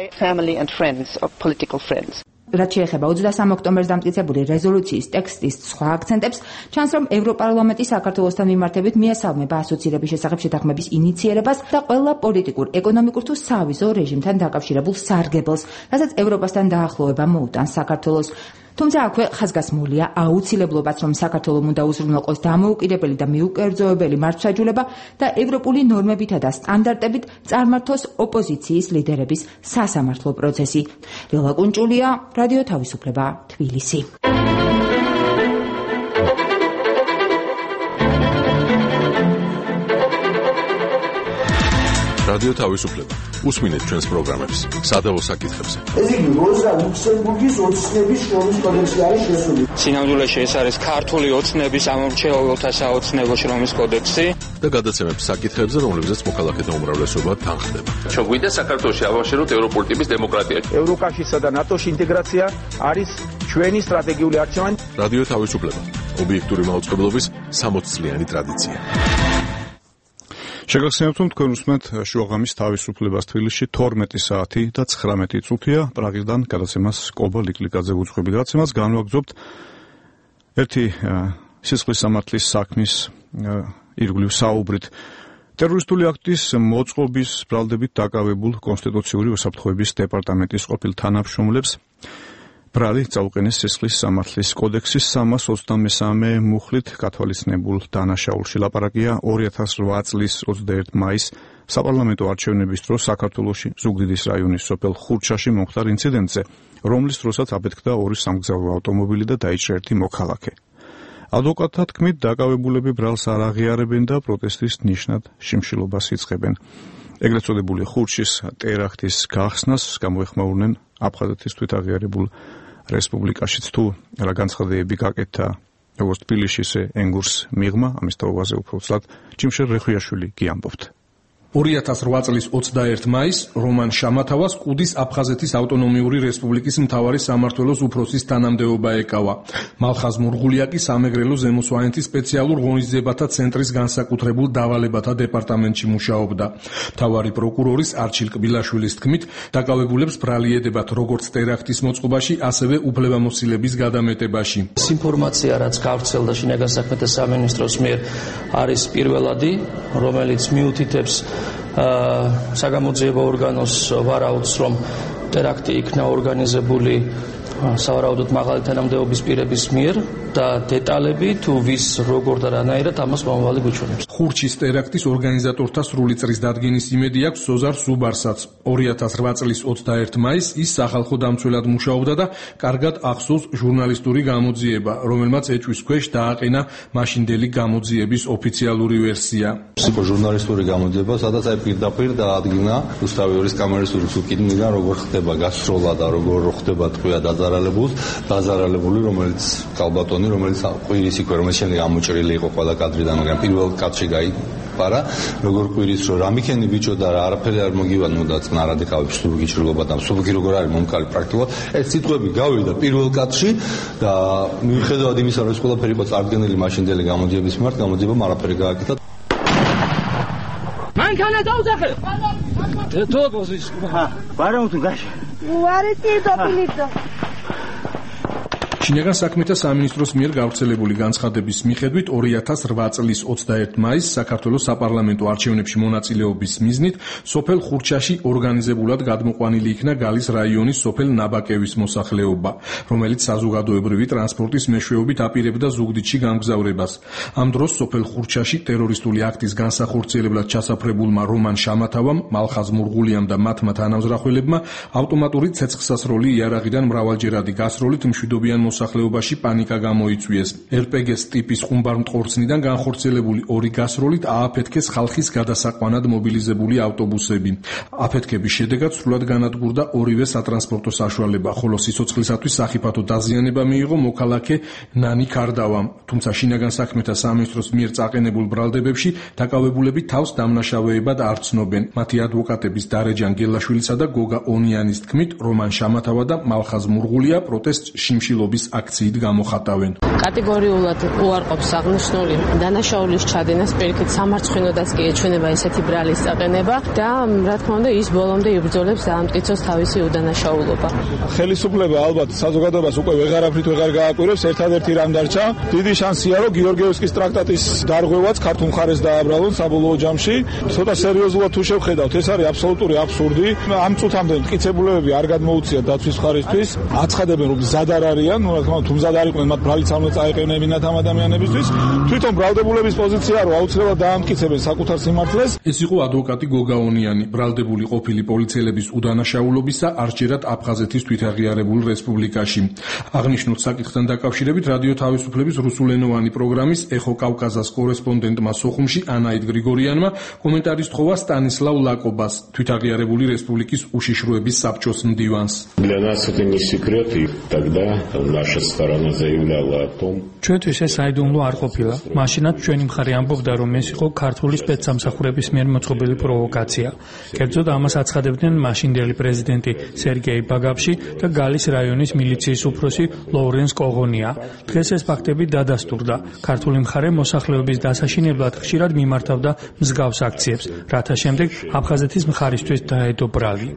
S10: რაც შეეხება ოცდასამ ოქტომბერს დამტკიცებული რეზოლუციის ტექსტის სხვა აქცენტებს, ჩანს, რომ ევროპარლამენტი საქართველოსთან მიმართებით მიესალმება ასოცირების შესახებ შეთანხმების ინიციერებას და ყველა პოლიტიკურ, ეკონომიკურ თუ სავიზო რეჟიმთან დაკავშირებულ სარგებელს, რასაც ევროპასთან დაახლოება მოუტანს საქართველოს. თუმცა აქვე ხაზგასმულია აუცილებლობაც, რომ საქართველოს უნდა უზრუნველყოს დამოუკიდებელი და მიუკერძოებელი მართლმსაჯულება და ევროპული ნორმებითა და სტანდარტებით წარმართოს ოპოზიციის ლიდერების სასამართლო პროცესი. ლელა კუნჭულია, რადიო თავისუფლება, თბილისი.
S8: რადიო თავისუფლება. უსმინეთ ჩვენს პროგრამებს სადავო საკითხებზე.
S14: ეს იგი როზა ლუქსემბურგის ოცნების შრომის კოდექსი არის შესული.
S15: სინამდვილეში ეს არის ქართული ოცნების ამომრჩეველთა საოცნებო შრომის კოდექსი
S8: და გადაცემებს საკითხებზე, რომლებზეც მოქალაქეთა უმრავლესობა თანხდება.
S16: ჩვენ გვინდა საქართველოში ავაშეროთ ევროპული ტიპის დემოკრატია.
S2: ევროკავშირსა და ნატოში ინტეგრაცია არის ჩვენი სტრატეგიული არჩევანი.
S8: რადიო თავისუფლება. ობიექტური მაუწყებლობის სამოც წლიანი ტრადიცია.
S1: შეგახსენებთ, რომ თქვენ უსმენთ შუაღამის თავისუფლებას თბილისში თორმეტი საათი და ცხრამეტი წუთია. პრაღიდან გადაცემას კობა ლიკლიკაძე უძღვები და გადაცემას განვაგრძობთ ერთი სისხლის სამართლის საქმის ირგვლივ საუბრით. ტერორისტული აქტის მოწყობის ბრალდებით დაკავებულ კონსტიტუციური უსაფრთხოების დეპარტამენტის ყოფილ თანამშრომლებს ბრალი წაუყენეს სისხლის სამართლის კოდექსის სამას ოცდამესამე მუხლით გათვალისწინებულ დანაშაულში. ლაპარაკია ორი ათას რვა წლის ოცდაერთი მაისს საპარლამენტო არჩევნების დროს საქართველოში ზუგდიდის რაიონის სოფელ ხურჩაში მომხდარ ინციდენტზე, რომლის დროსაც აბეთქდა ორი სამგზავრო ავტომობილი და დაიჭრა ერთი მოქალაქე. ადვოკატთა თქმით, დაკავებულები ბრალს არ აღიარებენ და პროტესტის ნიშნად შიმშილობას იწყებენ. ეგრეთ წოდებული ხურშის ტერაქტის გახსნას გამოეხმაურნენ აფხაზეთის თვითაღიარებულ რესპუბლიკაშიც. თუ რა განცხადებები გაკეთდა როგორც თბილისში, ისე ენგურს მიღმა, ამის თაობაზე უფრო ცლად ჯიმშელ რეხვიაშვილი კი ამბობთ.
S9: ორი ათას რვა წლის ოცდაერთი მაისს რომან შამათავას კუდის აფხაზეთის ავტონომიური რესპუბლიკის მთავარი სამმართველოს უფროსის თანამდებობა ეკავა. მალხაზ მურღულია კი სამეგრელო ზემო სვანეთის სპეციალურ ღონისძიებათა ცენტრის განსაკუთრებულ დავალებათა დეპარტამენტში მუშაობდა. მთავარი პროკურორის არჩილ კბილაშვილის თქმით, დაკავებულებს ბრალი ედებათ როგორც ტერაქტის მოწყობაში, ასევე უფლებამოსილების გადამეტებაში.
S17: ეს ინფორმაცია, რაც გავრცელდა შინაგან საქმეთა სამინისტროს მიერ, არის პირველადი, რომელიც მიუთითებს საგამოძიებო ორგანოს ვარაუდს, რომ ტერაქტი იქნა ორგანიზებული სავარაუდოდ მაღალი თანამდებობის პირების მიერ და დეტალები თუ ვის როგორ და რანაირად ამას მომავალი გვიჩვენებს.
S9: ხურჩის ტერაქტის ორგანიზატორთა სრული წრის დადგენის იმედი აქვს ზოზარ სუბარსაც. ორი ათას რვა წლის ოცდაერთი მაისს ის სახალხო დამცველად მუშაობდა და კარგად ახსოვს ჟურნალისტური გამოძიება, რომელმაც ეჭვის ქვეშ დააყენა მაშინდელი გამოძიების ოფიციალური ვერსია.
S18: იყო ჟურნალისტური გამოძიება, სადაც აი პირდაპირ დაადგინა რუსთავი ორის კამერის ურთულკინიდან როგორ ხდება გასროლა და როგორ ხდება თქვია დაზარალებულს, დაზარალებული, რომელიც კალბატონი, რომელიც ყვირის იქვე, რომელიც შემდეგ ამოჭრილი იყო ყველა კადრიდან, მაგრამ პირველ კადრში გაიპარა, როგორ ყვირის, რომ რამიქენი ბიჭო და არაფერი არ მოგივანმოდა წნარად ეკავებს სუბუქი ჭრილობა და სუბუქი როგორ არის მომკალი პრაქტიკულად. ეს სიტყვები გავიდა პირველ კადრში და მიუხედავად იმისა, რომ ეს ყველაფერი იყო წარდგენილი მაშინდელი გამოძიების მიმართ, გამოძიებამ არაფერი გააკეთა.
S19: მანქანა დაუძახე. თუ პოზიცია. ბარემ თუ გაშ. უარესი დოპილიტო.
S9: შინაგან საქმეთა სამინისტროს მიერ გავრცელებული განცხადების მიხედვით ორი ათას რვა წლის ოცდაერთი მაისს საქართველოს საპარლამენტო არჩევნებში მონაწილეობის მიზნით სოფელ ხურჩაში ორგანიზებულად გადმოყვანილი იქნა გალის რაიონის სოფელ ნაბაკევის მოსახლეობა, რომელიც საზოგადოებრივი ტრანსპორტის მეშვეობით აპირებდა ზუგდიდში გამგზავრებას. ამ დროს სოფელ ხურჩაში ტერორისტული აქტის განსახორციელებლად ჩასაფრებულმა რომან შამათავამ, მალხაზ მურღულიამ და მათმა თანამზრახველებმა ავტომატური ცეცხლსასროლი იარაღიდან მრავალჯერადი გასროლით მშვიდობიან მოსახლეობაში პანიკა გამოიწვიეს. ელ პე გეს ტიპის ხუმბარმტყორცნიდან განხორციელებული ორი გასროლით ააფეთქეს ხალხის გადასაყვანად მობილიზებული ავტობუსები. აფეთქების შედეგად სრულად განადგურდა ორივე სატრანსპორტო საშუალება, ხოლო სიცოცხლისათვის სახიფათო დაზიანება მიიღო მოქალაქე ნანი ქარდავამ. თუმცა შინაგან საქმეთა სამინისტროს მიერ წაყენებულ ბრალდებებში დაკავებულები თავს დამნაშავეებად არ ცნობენ. მათი ადვოკატების დარეჯან გელაშვილისა და გოგა ონიანის თქმით, რომან შამათავა და მალხაზ მურღულია პროტესტ შიმშილობის აქციით გამოხატავენ.
S20: კატეგორიულად უარყოფს აღნიშნული დანაშაულის ჩადენას, პირიქით სამარცხვინოდაც კი ეჩვენება ესეთი ბრალის წაყენება და რა თქმა უნდა ის ბოლომდე იბრძოლებს დაამტკიცოს თავისი უდანაშაულობა.
S21: ხელისუფლება ალბათ საზოგადოებას უკვე ვეღარაფრით ვეღარ გააკვირებს, ერთადერთი რამ დარჩა, დიდი შანსია, რომ გიორგიევსკის ტრაქტატის დარღვევაც ქართულ მხარეს დააბრალონ საბოლოო ჯამში. ცოტა სერიოზულად თუ შევხედავთ, ეს არის აბსოლუტური აბსურდი. ამ წუთამდე მტკიცებულებები არ გადმოუწიათ დაცვის მხარისთვის, აცხადებენ, რომ მზად არ არიან, რა თქმა უნდა, თუ მზად არ იყვნენ, მათ ბრალიც არ უნდა წაეყენებინათ ამ ადამიანებისთვის. თვითონ ბრალდებულების პოზიცია, რომ აუცილებლად დაამტკიცებენ საკუთარ სიმართლეს.
S9: ეს იყო ადვოკატი გოგა ონიანი, ბრალდებული ყოფილი პოლიციელების უდანაშაულობისა არჩერად აფხაზეთის თვითაღიარებულ რესპუბლიკაში. აღნიშნულ საკითხთან დაკავშირებით რადიო თავისუფლების რუსულენოვანი პროგრამის ეხო კავკაზას კორესპონდენტმა სოხუმში ანაით გრიგორიანმა კომენტარის თხოვა სტანისლავ ლაკობას, თვითაღიარებული რესპუბლიკის უშიშროების საბჭოს მდივანს.
S22: Для нас это не секрет, и тогда наша сторона заявляла о том,
S23: ჩვენთვის ეს აიდუმლო არ ყოფილა. მაშინაც ჩვენი მხარე ამბობდა, რომ ეს იყო ქართული სპეცსამსახურების მიერ მოწყობილი პროვოკაცია. კერძოდ ამას აცხადებდნენ მაშინდელი პრეზიდენტი სერგეი ბაგაფში და გალის რაიონის მილიციის უფროსი ლოურენს კოღონია. დღეს ეს ფაქტები დადასტურდა. ქართული მხარე მოსახლეობის დასაშინებლად ხშირად მიმართავდა მსგავს აქციებს, რათა შემდეგ აფხაზეთის მხარისთვის დაედო ბრალი.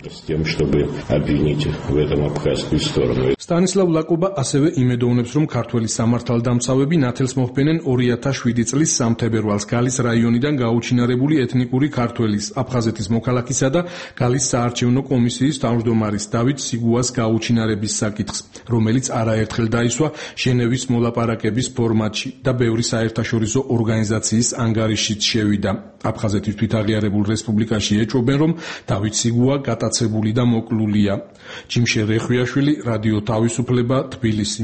S9: სტანისლავ ლაკობა ასევე იმედოვნებს, რომ ქართველი სამართალდამცავები ნათელს მოჰფენენ ორი ათას შვიდი წლის სამ თებერვალს გალის რაიონიდან გაუჩინარებული ეთნიკური ქართველის, აფხაზეთის მოქალაქისა და გალის საარჩევნო კომისიის თავმჯდომარის დავით სიგუას გაუჩინარების საკითხს, რომელიც არაერთხელ დაისვა ჟენევის მოლაპარაკების ფორმატში და ბევრი საერთაშორისო ორგანიზაციის ანგარიშიც შევიდა. აფხაზეთის თვითაღიარებულ რესპუბლიკაში ეჭვობენ, რომ დავით სიგუა გატაცებული და მოკლულია. ჯიმშე რეხვიაშვილი, რადიო თავისუფლება, თბილისი.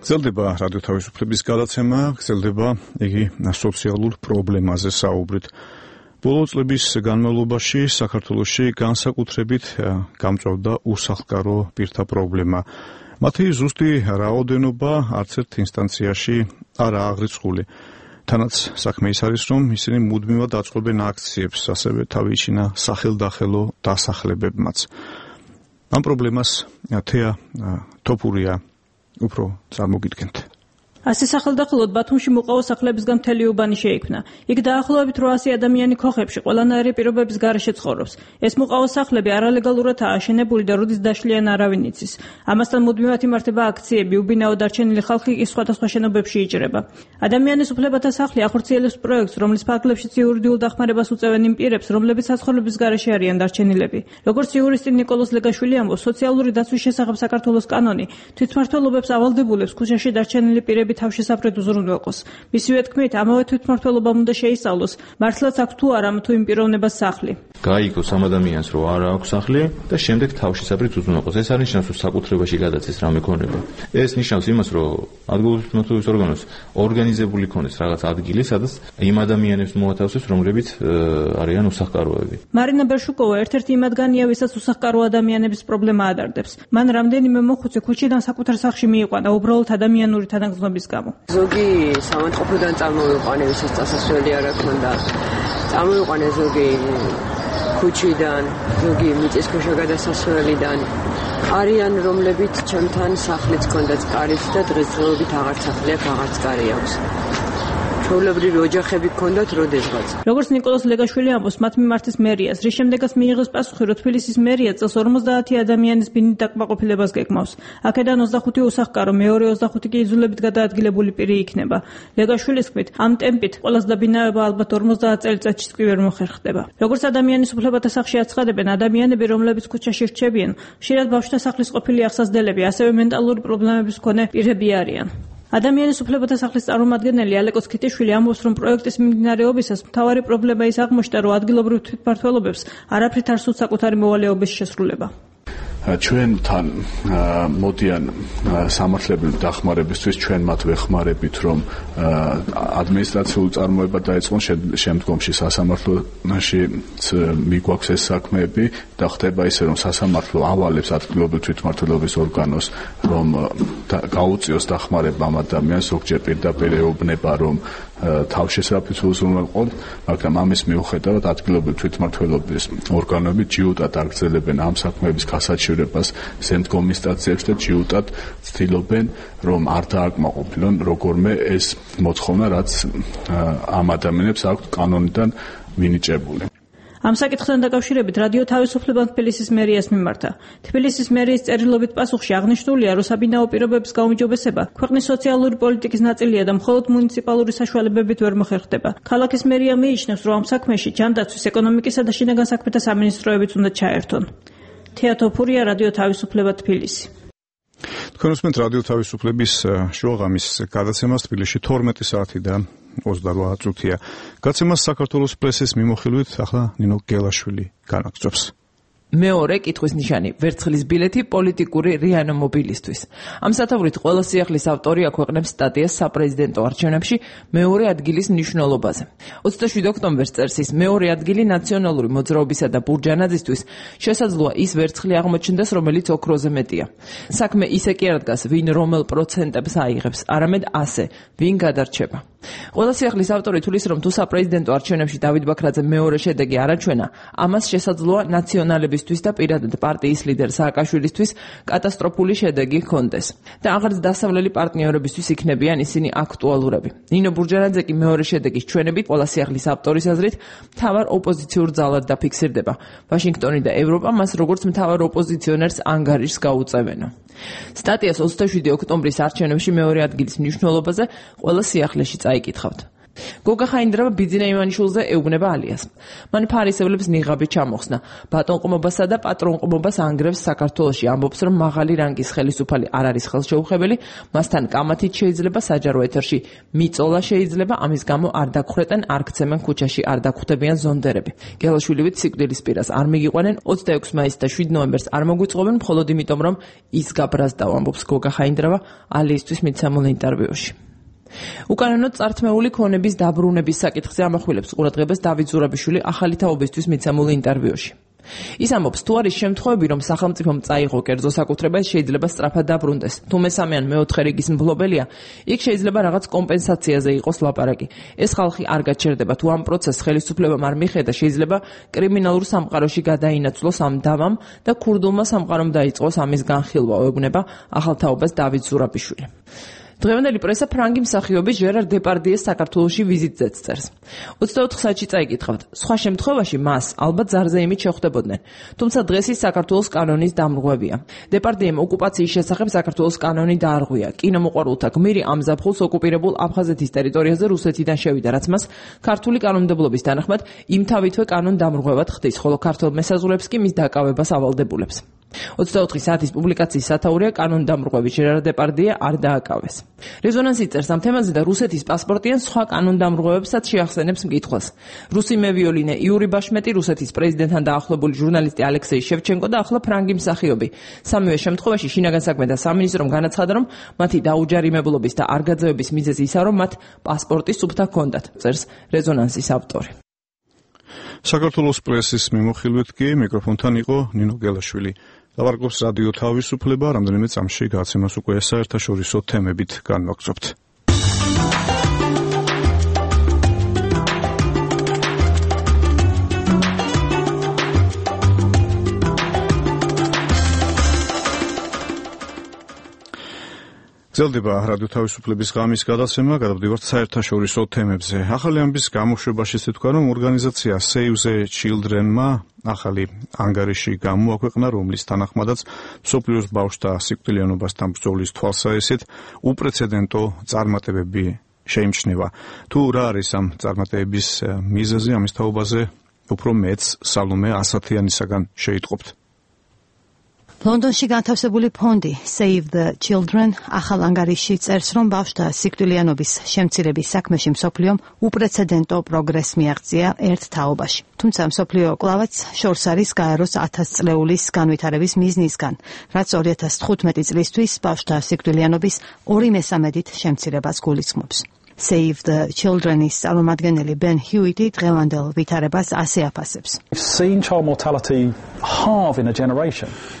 S1: გრძელდება რადიო თავისუფლების გადაცემა, გრძელდება იგი სოციალურ პრობლემაზე საუბრით. ბოლო წლების განმავლობაში საქართველოში განსაკუთრებით გამწვავდა უსახლკარო პირთა პრობლემა. მათი ზუსტი რაოდენობა არც ერთ ინსტანციაში არ აღრიცხული. თანაც საქმე ის არის, რომ ისინი მუდმივად აწყობენ აქციებს, ასევე თავიჩინა სახელდახელო დასახლებებმაც. ამ პრობლემას თეა თოფურია უფრო წარმოგიდგენთ.
S4: ასე სახელდახელოდ ბათუმში მოყავა სახლებისგან მთელი უბანი შეიქმნა. იქ დაახლოებით რვაასი ადამიანი ქოხებში ყველანაირი პირობების გარეშე ცხოვრობს. ეს მოყავა სახლები არალეგალურადაა აშენებული და როდის დაშლიან არავინ იცის. ამასთან მუდმივად იმართება აქციები, უბინაო დარჩენილი ხალხი კი სხვადასხვა შენობებში იჭრება. ადამიანის უფლებათა სახლი ახორციელებს პროექტს, რომლის ფარგლებშიც იურიდიულ დახმარებას უწევენ იმ პირებს, რომლებიც საცხოვრების გარეშე არიან დარჩენილები. როგორც იურისტი ნიკოლოზ ლეგაშვილი ამბობს, სოციალური დაცვის შესახებ საქართველოს კანონი თვითმმართველობებს ავალდებულებს ქუჩაში დარჩენილი პირები თავშესაფრად უზრუნველყოს. მისივე თქმით, ამავე თვითმმართველობამ უნდა შეისწავლოს, მართლაც აქვს თუ არა თუ იმ პიროვნებას სახლი.
S6: გაიგოს ამ ადამიანს, რომ არ აქვს სახლი და შემდეგ თავშესაფრად უზრუნველყოს. ეს არ ნიშნავს, რომ საკუთრებაში გადაცეს რამე ქონება. ეს ნიშნავს იმას, რომ ადგილობრივი თვითმმართველობის ორგანოს ორგანიზებული ქონდეს რაღაც ადგილი, სადაც იმ ადამიანებს მოათავსებს, რომლებიც არიან უსახლკაროები.
S4: მარინა ბერშუკოვა ერთ-ერთი იმათგანია, ვისაც უსახლკარო ადამიანების პრობლემა ადარდებს. მან რამდენიმე მოხუცე ქუჩიდან საკუთარ სახლში მიიყვანა უბრალოდ ადამიანური თანაგზნობის გამო.
S7: ზოგი სამანწყობიდან წარმოვიყვანე, ვისაც წასასვლელი არ აქვს და წარმოვიყვანე ზოგი ქუჩიდან, ზოგი მიწისქვეშა გადასასვლელიდან. არიან რომლებიც ჩემთან სახლიც ჰქონდათ კარის და დღესდღეობით აღარ სახლი აქვს, აღარც კარი აქვს. ჩვეულებრივი ოჯახები ჰქონდათ როდესღაც.
S4: როგორც ნიკოლოზ ლეგაშვილი ამბობს, მათ მიმართეს მერიას, რის შემდეგაც მიიღეს პასუხი, რომ თბილისის მერია წელს ორმოცდაათი ადამიანის ბინით დაკმაყოფილებას გეკმავს. აქედან ოცდახუთი უსახლკარო, მეორე ოცდახუთი კი იძულებით გადაადგილებული პირი იქნება. ლეგაშვილის თქმით, ამ ტემპით ყველას დაბინავება ალბათ ორმოცდაათ წელიწადშიც კი ვერ მოხერხდება. როგორც ადამიანის უფლებათა სახლში აცხადებენ, ადამიანები, რომლებიც ქუჩაში რჩებიან, ხშირად ბავშვთა სახლის ყოფილი აღსაზრდელები, ასევე მენტალური პრობლემების მქონე პირები არიან. ადამიანის უფლებათა სახლის წარმომადგენელი ალეკოს ქიტიშვილი ამბობს, რომ პროექტის მიმდინარეობისას მთავარი პრობლემა ის აღმოჩნდა, რომ ადგილობრივ თვითმმართველობებს არაფრით არ სურთ საკუთარი მოვალეობის შესრულება.
S24: ჩვენთან მოდიან სამართლებრივი დახმარებისთვის, ჩვენ მათ ვეხმარებით, რომ ადმინისტრაციული წარმოება დაეწყონ, შემდგომში სასამართლოში მიგვაქვს ეს საქმეები და ხდება ისე, რომ სასამართლო ავალებს ადგილობრივ თვითმმართველობის ორგანოს, რომ გაუწიოს დახმარება ამ ადამიანს, ზოგჯერ პირდაპირ ეუბნება, რომ თავშესაფრით უზრუნველყოთ, მაგრამ ამის მიუხედავად ადგილობრივი თვითმმართველობის ორგანოები ჯიუტად აგრძელებენ ამ საქმეების გასაჩივრებას შემდგომ ინსტანციებში და ჯიუტად ცდილობენ, რომ არ დააკმაყოფილონ როგორმე ეს მოთხოვნა, რაც ამ ადამიანებს აქვთ კანონიდან მინიჭებული.
S4: ამ საკითხთან დაკავშირებით რადიო თავისუფლება თბილისის მერიას მიმართა. თბილისის მერიის წერილობით პასუხში აღნიშნულია, რომ საბინაო პირობების გაუმჯობესება ქვეყნის სოციალური პოლიტიკის ნაწილია და მხოლოდ მუნიციპალური საშუალებებით ვერ მოხერხდება. ქალაქის მერია მიიჩნევს, რომ ამ საქმეში ჯანდაცვის, ეკონომიკისა და შინაგან საქმეთა სამინისტროებიც უნდა ჩაერთონ. თეა თოფურია, რადიო თავისუფლება თბილისი.
S1: თქვენ უსმენთ რადიო თავისუფლების შუაღამის გადაცემას თბილისში თორმეტი საათი და ოცდარვა წუთია. გადაცემას საქართველოს პრესის მიმოხილვით ახლა ნინო გელაშვილი განაგრძობს.
S25: მეორე კითხვის ნიშანი ვერცხლის ბილეთი პოლიტიკური რიანო მობილისთვის. ამ სათაურით ყველა სიახლის ავტორი აქვეყნებს სტატიას საპრეზიდენტო არჩევნებში მეორე ადგილის მნიშვნელობაზე. ოცდაშვიდ ოქტომბერს წერს ის, მეორე ადგილი ნაციონალური მოძრაობისა და ბურჯანაძისთვის შესაძლოა ის ვერცხლი აღმოჩნდეს, რომელიც ოქროზე მეტია. საქმე ისე კი არ დგას, ვინ რომელ პროცენტებს აიღებს, არამედ ასე, ვინ გადარჩება. ყველა სიახლის ავტორი თulis, რომ თუ საპრეზიდენტო არჩევნებში დავით ბაქრაძე მეორე შედეგი არ აჩვენა, ამას შესაძლოა ნაციონალების და პირადად პარტიის ლიდერ სააკაშვილისთვის კატასტროფული შედეგი ჰქონდეს და აღარც დასავლელი პარტნიორებისთვის იქნებიან ისინი აქტუალურები. ნინო ბურჯანაძე კი მეორე შედეგის ჩვენებით ყველა სიახლის ავტორის აზრით მთავარ ოპოზიციურ ძალად დაფიქსირდება. ვაშინგტონი და ევროპა მას როგორც მთავარ ოპოზიციონერს ანგარიშს გაუწევენო. სტატიას ოცდაშვიდი ოქტომბრის არჩევნებში მეორე ადგილის მნიშვნელობაზე ყველა სიახლეში წაიკითხავთ. გოგა ხაინდრავა ბიძინა ივანიშვილზე ეუბნება ალიას. მან ფარისევლებს ნიღაბი ჩამოხსნა. ბატონყმობასა და პატრონყმობას ანგრევს საქართველოში, ამბობს, რომ მაღალი რანგის ხელისუფალი არ არის ხელშეუხებელი, მასთან კამათით შეიძლება საჯარო ეთერში მიწოლა შეიძლება, ამის გამო არ დაგხრეტენ, არ გცემენ ქუჩაში, არ დაგხვდებიან ზონდერები. გელაშვილივით სიკვდილის პირას არ მიგიყვანენ, ოცდაექვსი მაისს და შვიდ ნოემბერს არ მოგვიწყობენ, მხოლოდ იმიტომ, რომ ის გაბრაზდა, ამბობს გოგა ხაინდრავა ალიისთვის მიცემულ ინტერვიუში. უკანონოდ წართმეული ქონების დაბრუნების საკითხზე ამახვილებს ყურადღებას დავით ზურაბიშვილი ახალი თაობისთვის მიცემულ ინტერვიუში. ის ამბობს, თუ არის შემთხვევები, რომ სახელმწიფომ წაიღო კერძო საკუთრება, შეიძლება სწრაფად დაბრუნდეს. თუ მესამე ან მეოთხე რიგის მფლობელია, იქ შეიძლება რაღაც კომპენსაციაზე იყოს ლაპარაკი. ეს ხალხი არ გაჩერდება, თუ ამ პროცესს ხელისუფლებამ არ მიხედა, შეიძლება კრიმინალურ სამყაროში გადაინაცვლოს ამ დავამ და ქურდულმა სამყარომ დაიწყოს ამის განხილვა, ეუბნება ახალ თაობას დავით ზურაბიშვილი. დღევანდელი პრესა ფრანგი მსახიობის ჟერარ დეპარდიეს საქართველოში ვიზიტზეც წერს. ოცდაოთხ საათში წაიკითხავთ. სხვა შემთხვევაში მას ალბათ ზარზე იმით შეხვდებოდნენ. თუმცა დღეს ის საქართველოს კანონის დამრღვევია. დეპარდიემ ოკუპაციის შესახებ საქართველოს კანონი დაარღვია. კინომოყვარულთა გმირი ამ ზაფხულს ოკუპირებულ აფხაზეთის ტერიტორიაზე რუსეთიდან შევიდა, რაც მას ქართული კანონმდებლობის თანახმად იმთავითვე კანონ დამრღვევად ხდის, ხოლო ქართულ მესაზღვრეებს კი მის დაკავებას ავალდებულებს. ოცდაოთხი საათის პუბლიკაციის სათაურია კანონდამრღვევი ჟერარ დეპარდიე არ დააკავეს. რეზონანსი წერს ამ თემაზე და რუსეთის პასპორტი ან სხვა კანონდამრღვევებსაც შეახსენებს მკითხველს. რუსი მევიოლინე იური ბაშმეტი, რუსეთის პრეზიდენტთან დაახლოებული ჟურნალისტი ალექსეი შევჩენკო და ახლა ფრანგი მსახიობი. სამივე შემთხვევაში შინაგან საქმეთა სამინისტრომ განაცხადა, რომ მათი დაუჯარიმებლობის და არ გაძევების მიზეზი ისაა, რომ მათ პასპორტი სუფთა ჰქონდათ, წერს რეზონანსის ავტორი.
S1: საქართველოს პრესის მიმოხილვით კი მიკროფონთან იყო ნინო გელაშვილი. ლაპარაკობს რადიო თავისუფლება, რამდენიმე წამში გაცემას უკვე საერთაშორისო თემებით განვაგრძობთ. გრძელდება რადიო თავისუფლების ღამის გადაცემა, გადავდივართ საერთაშორისო თემებზე. ახალი ამბის გამოშვებაში ისე თქვა, რომ ორგანიზაცია Save the Children-მა ახალი ანგარიში გამოაქვეყნა, რომლის თანახმადაც მსოფლიოს ბავშვთა სიკვდილიანობასთან ბრძოლის თვალსაჩინოდ უპრეცედენტო წარმატებები შეიმჩნევა. თუ რა არის ამ წარმატებების მიზეზი, ამის თაობაზე უფრო მეც სალომე ასათიანისაგან შეიტყობთ.
S3: ლონდონში განთავსებული ფონდი Save the Children ახალ ანგარიში წერს, რომ ბავშვთა სიკვდილიანობის შემცირების საქმეში მსოფლიომ უპრეცედენტო პროგრესს მიაღწია ერთ თაობაში. თუმცა მსოფლიო კვლავაც შორს არის გაეროს ათასწლეულის განვითარების მიზნისგან, რაც ორი ათას თხუთმეტი წლისთვის ბავშვთა სიკვდილიანობის ორი მესამედით შემცირებას გულისხმობს. Save the Children-ის წარმომადგენელი Ben Hewitt-ი დღევანდელ ვითარებას ასე აფასებს.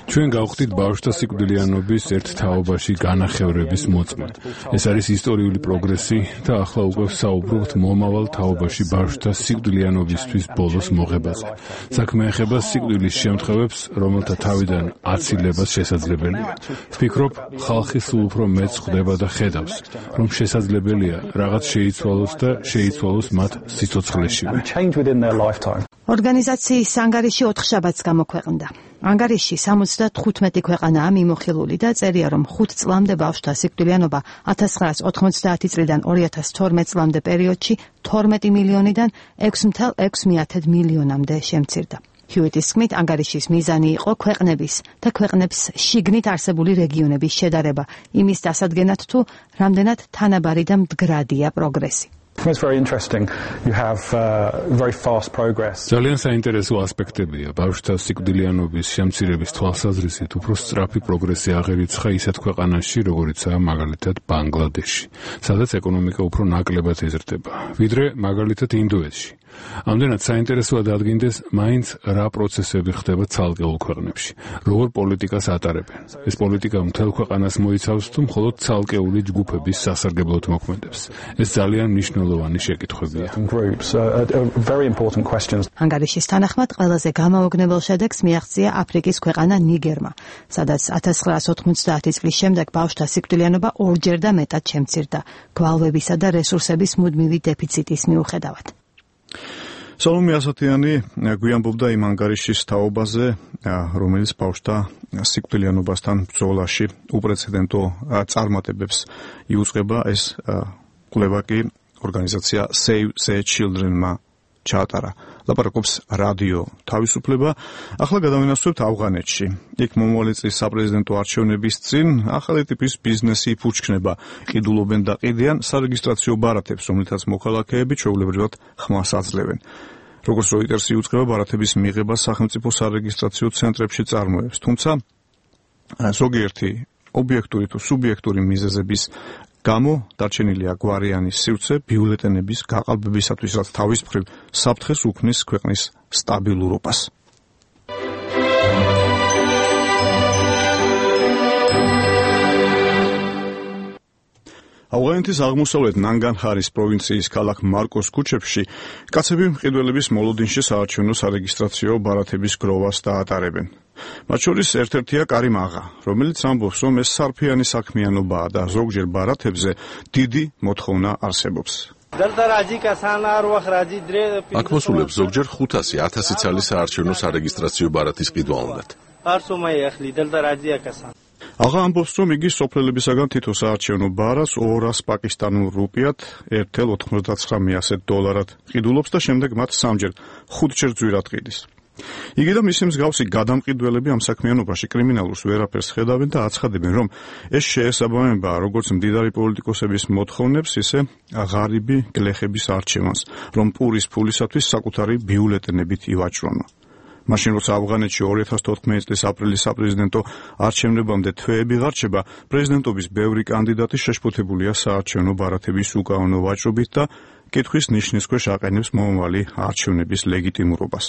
S24: ჩვენ გავხდით ბავშვთა სიკვდილიანობის ერთ თაობაში განახევრების მოწმე. ეს არის ისტორიული პროგრესი და ახლა უკვე ვსაუბრობთ მომავალ თაობაში ბავშვთა სიკვდილიანობისთვის ბოლოს მოღებაზე. საქმე ეხება სიკვდილის შემთხვევებს, რომელთა თავიდან აცილებას შესაძლებელია. ვფიქრობ, ხალხი სულ უფრო მეც ხვდება და ხედავს, რომ შესაძლებელია რაღაც შეიცვალოს და შეიცვალოს მათ სიცოცხლეში.
S3: ორგანიზაციის ანგარიში ოთხშაბათს გამოქვეყნდა. ანგარიში სამოცდათხუთმეტი ქვეყანაა მიმოხილული და წერია, რომ ხუთ წლამდე ბავშვთა სიკვდილიანობა ათას ცხრაას ოთხმოცდაათი წლიდან ორი ათას თორმეტ წლამდე პერიოდში თორმეტი მილიონიდან ექვსი ათას ექვსმეათე მილიონამდე შემცირდა. Hewitt-ის თქმით, ანგარიშის მიზანი იყო ქვეყნების და ქვეყნებს შიგნით არსებული რეგიონების შედარება, იმის დასადგენად თუ რამდენად თანაბარი და მდგრადია პროგრესი.
S24: ძალიან საინტერესო ასპექტებია ბავშვთა სიკვდილიანობის შემცირების თვალსაზრისით უფრო სწრაფი პროგრესი აღერიცხა ისეთ ქვეყანაში, როგორიცაა მაგალითად ბანგლადეში, სადაც ეკონომიკა უფრო ნაკლებად ეზრდება, ვიდრე მაგალითად ინდოეთში. ამდენად საინტერესოა დადგინდეს, მაინც რა პროცესები ხდება ცალკეულ ქვეყნებში, როგორ პოლიტიკას ატარებენ. ეს პოლიტიკა მთელ ქვეყანას მოიცავს თუ მხოლოდ ცალკეული ჯგუფების სასარგებლოდ მოქმედებს. ეს ძალიან მნიშვნელოვანი შეკითხვებია.
S3: ანგარიშის თანახმად ყველაზე გამაოგნებელ შედეგს მიაღწია აფრიკის ქვეყანა ნიგერმა, სადაც ათას ცხრაას ოთხმოცდაათი წლის შემდეგ ბავშვთა სიკვდილიანობა ორჯერ და მეტად შემცირდა, გვალვებისა და რესურსების მუდმივი დეფიციტის მიუხედავად.
S1: სალომე ასათიანი გვიამბობდა იმ ანგარიშის თაობაზე, რომელიც ბავშვთა სიკვდილიანობასთან ბრძოლაში უპრეცედენტო წარმატებებს იუწყება. ეს კვლევა კი ორგანიზაცია Save the Children-მა ჩაატარა. ლაპარაკობს რადიო თავისუფლება. ახლა გადავინაცვლებთ ავღანეთში. იქ მომავალი წლის საპრეზიდენტო არჩევნების წინ ახალი ტიპის ბიზნესი იფუჩქნება. ყიდულობენ და ყიდიან სარეგისტრაციო ბარათებს, რომლითაც მოქალაქეები ჩვეულებრივად ხმას აძლევენ. როგორც როიტერსი უწყება ბარათების მიღებას სახელმწიფო სარეგისტრაციო ცენტრებში წარმოებს, თუმცა ზოგიერთი ობიექტური თუ სუბიექტური მიზეზების გამო დარჩენილია გვარიანის სივრცე ბიულეტენების გაყალბებისათვის, რაც თავის მხრივ საფრთხეს უქმნის ქვეყნის სტაბილურობას. ავღანეთის აღმოსავლეთ ნანგარჰარის პროვინციის ქალაქ მარკოს ქუჩებში კაცები მყიდველების მოლოდინში საარჩევნო სარეგისტრაციო ბარათების გროვას დაატარებენ. მათ შორის ერთ-ერთია კარიმ აღა, რომელიც ამბობს, რომ ეს სარფიანი საქმიანობაა და ზოგჯერ ბარათებზე დიდი მოთხოვნა არსებობს.
S8: აქ მოსულებს ზოგჯერ ხუთასი ათასი ცალი საარჩევნო სარეგისტრაციო ბარათის ყიდვა უნდათ. აღა ამბობს, რომ იგი სოფლელებისაგან თითო საარჩევნო ბარათს ორას პაკისტანურ რუპიად ერთ ათეული ოცდათხმეტ დოლარად ყიდულობს და შემდეგ მათ სამჯერ ხუთჯერ ძვირად ყიდის. იგი და მისი მსგავსი გადამყიდველები ამ საქმიანობაში კრიმინალურს ვერაფერს ხედავენ და აცხადებენ, რომ ეს შეესაბამება როგორც მდიდარი პოლიტიკოსების მოთხოვნებს, ისე ღარიბი გლეხების არჩევანს, რომ პურის ფულისათვის საკუთარი ბიულეტენებით ივაჭრონო. მაშინ როცა ავღანეთში ორი ათას თოთხმეტი წლის აპრილის საპრეზიდენტო არჩევნებამდე თვეები ღარჩება, პრეზიდენტობის ბევრი კანდიდატი შეშფოთებულია საარჩევნო ბარათების უკანონო ვაჭრობით და კითხვის ნიშნის ქვეშ აყენებს მომავალი არჩევნების ლეგიტიმურობას.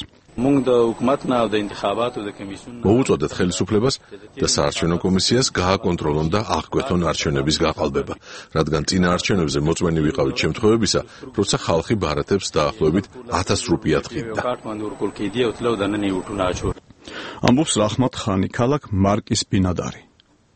S8: მოუწოდეთ ხელისუფლებას და საარჩევნო კომისიას გააკონტროლონ და აღკვეთონ არჩევნების გაყალბება, რადგან წინა არჩევნებზე მოწვენი ვიყავით შემთხვევებისა, როცა ხალხი ბარათებს დაახლოებით ათას რუპიად ყიდდა.
S1: ამბობს რაჰმათ ხანი, ქალაქ მარკის ბინადარი.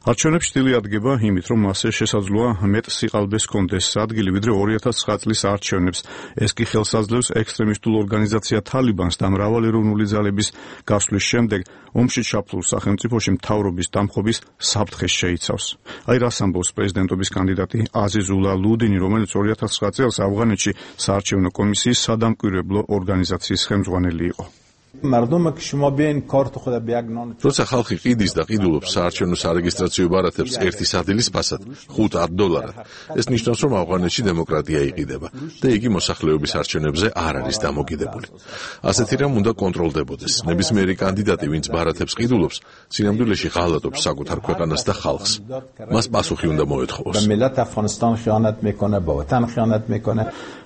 S1: არჩევნებში დილი ადგება იმით, რომ მასზე შესაძლოა მეტ სიყალბეს კონდეს ადგილი, ვიდრე ორი ათას ცხრა წლის არჩევნებს. ეს კი ხელს აძლევს ექსტრემისტულ ორგანიზაცია თალიბანს და მრავალი ეროვნული ძალების გასვლის შემდეგ ომში ჩაფლულ სახელმწიფოში მთავრობის დამხობის საფრთხეს შეიცავს. აი რას ამბობს პრეზიდენტობის კანდიდატი აზიზულა ლუდინი, რომელიც ორი ათას ცხრა წელს ავღანეთში საარჩევნო კომისიის სადამკვირვებლო ორგანიზაციის ხელმძღვანელი იყო.
S8: როცა ხალხი ყიდის და ყიდულობს საარჩევნო სარეგისტრაციო ბარათებს ერთი სადილის ფასად ხუთ ათ დოლარად, ეს ნიშნავს, რომ ავღანეთში დემოკრატია იყიდება და იგი მოსახლეობის არჩევნებზე არ არის დამოკიდებული. ასეთი რამ უნდა კონტროლდებოდეს. ნებისმიერი კანდიდატი, ვინც ბარათებს ყიდულობს, სინამდვილეში ღალატობს საკუთარ ქვეყანას და ხალხს. მას პასუხი უნდა მოეთხოვოს.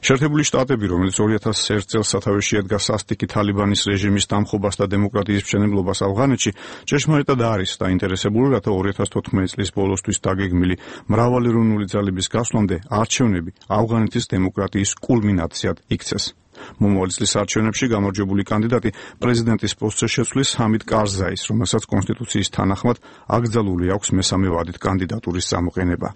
S1: შეერთებული შტატები, რომელიც ორი ათას ერთ წელს სათავეში ედგა სასტიკი თალიბანის რეჟიმის დამხობას და დემოკრატიის მშენებლობას ავღანეთში, ჭეშმარიტად არის დაინტერესებული, რათა ორი ათას თოთხმეტი წლის ბოლოსთვის დაგეგმილი მრავალეროვნული ძალების გასვლამდე არჩევნები ავღანეთის დემოკრატიის კულმინაციად იქცეს. მომავალი წლის არჩევნებში გამარჯვებული კანდიდატი პრეზიდენტის პოსტზე შეცვლის ჰამიდ კარზაის, რომელსაც კონსტიტუციის თანახმად აკრძალული აქვს მესამე ვადით კანდიდატურის წამოყენება.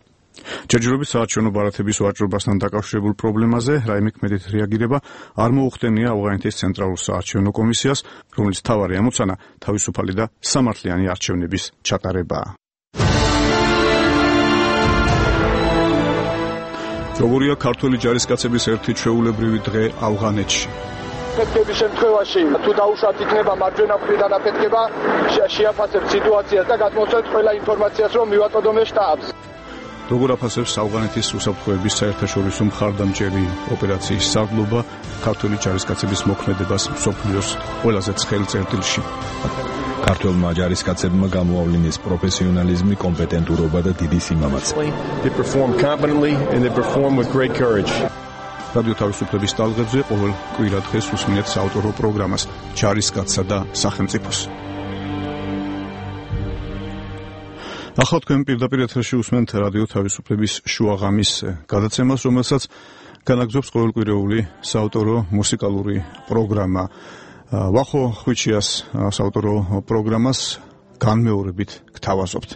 S1: ჯერჯერობით საარჩევნო ბარათების ვაჭრობასთან დაკავშირებულ პრობლემაზე რაიმე ქმედით რეაგირება არ მოუხდენია ავღანეთის ცენტრალურ საარჩევნო კომისიას, რომელიც მთავარი ამოცანა თავისუფალი და სამართლიანი არჩევნების ჩატარებაა. როგორია ქართველი ჯარისკაცების ერთი ჩვეულებრივი დღე ავღანეთში?
S21: ფეთქების შემთხვევაში თუ დაუშვათ იქნება მარჯვენა მხრიდან აფეთქება, შეაფასებთ სიტუაციას და გადმოსცემთ ყველა ინფორმაციას, რომ მივაწოდოთ შტაბს.
S1: როგორ აფასებს ავღანეთის უსაფრთხოების საერთაშორისო მხარდამჭერი ოპერაციის სარდლობა ქართველი ჯარისკაცების მოქმედებას მსოფლიოს ყველაზე ცხელ წერტილში?
S5: ქართველმა ჯარისკაცებმა გამოავლინეს პროფესიონალიზმი, კომპეტენტურობა და დიდი სიმამაცე. რადიო თავისუფლების ტალღებზე ყოველ კვირა დღეს უსმენთ საავტორო პროგრამას ჯარისკაცსა და სახელმწიფოს. ახლა თქვენ პირდაპირ ეთერში უსმენთ რადიო თავისუფლების შუაღამის გადაცემას, რომელსაც განაგზობს ყოველკვირეული საავტორო მუსიკალური პროგრამა. ვახო ხვიჩიას საავტორო პროგრამას განმეორებით გთავაზობთ.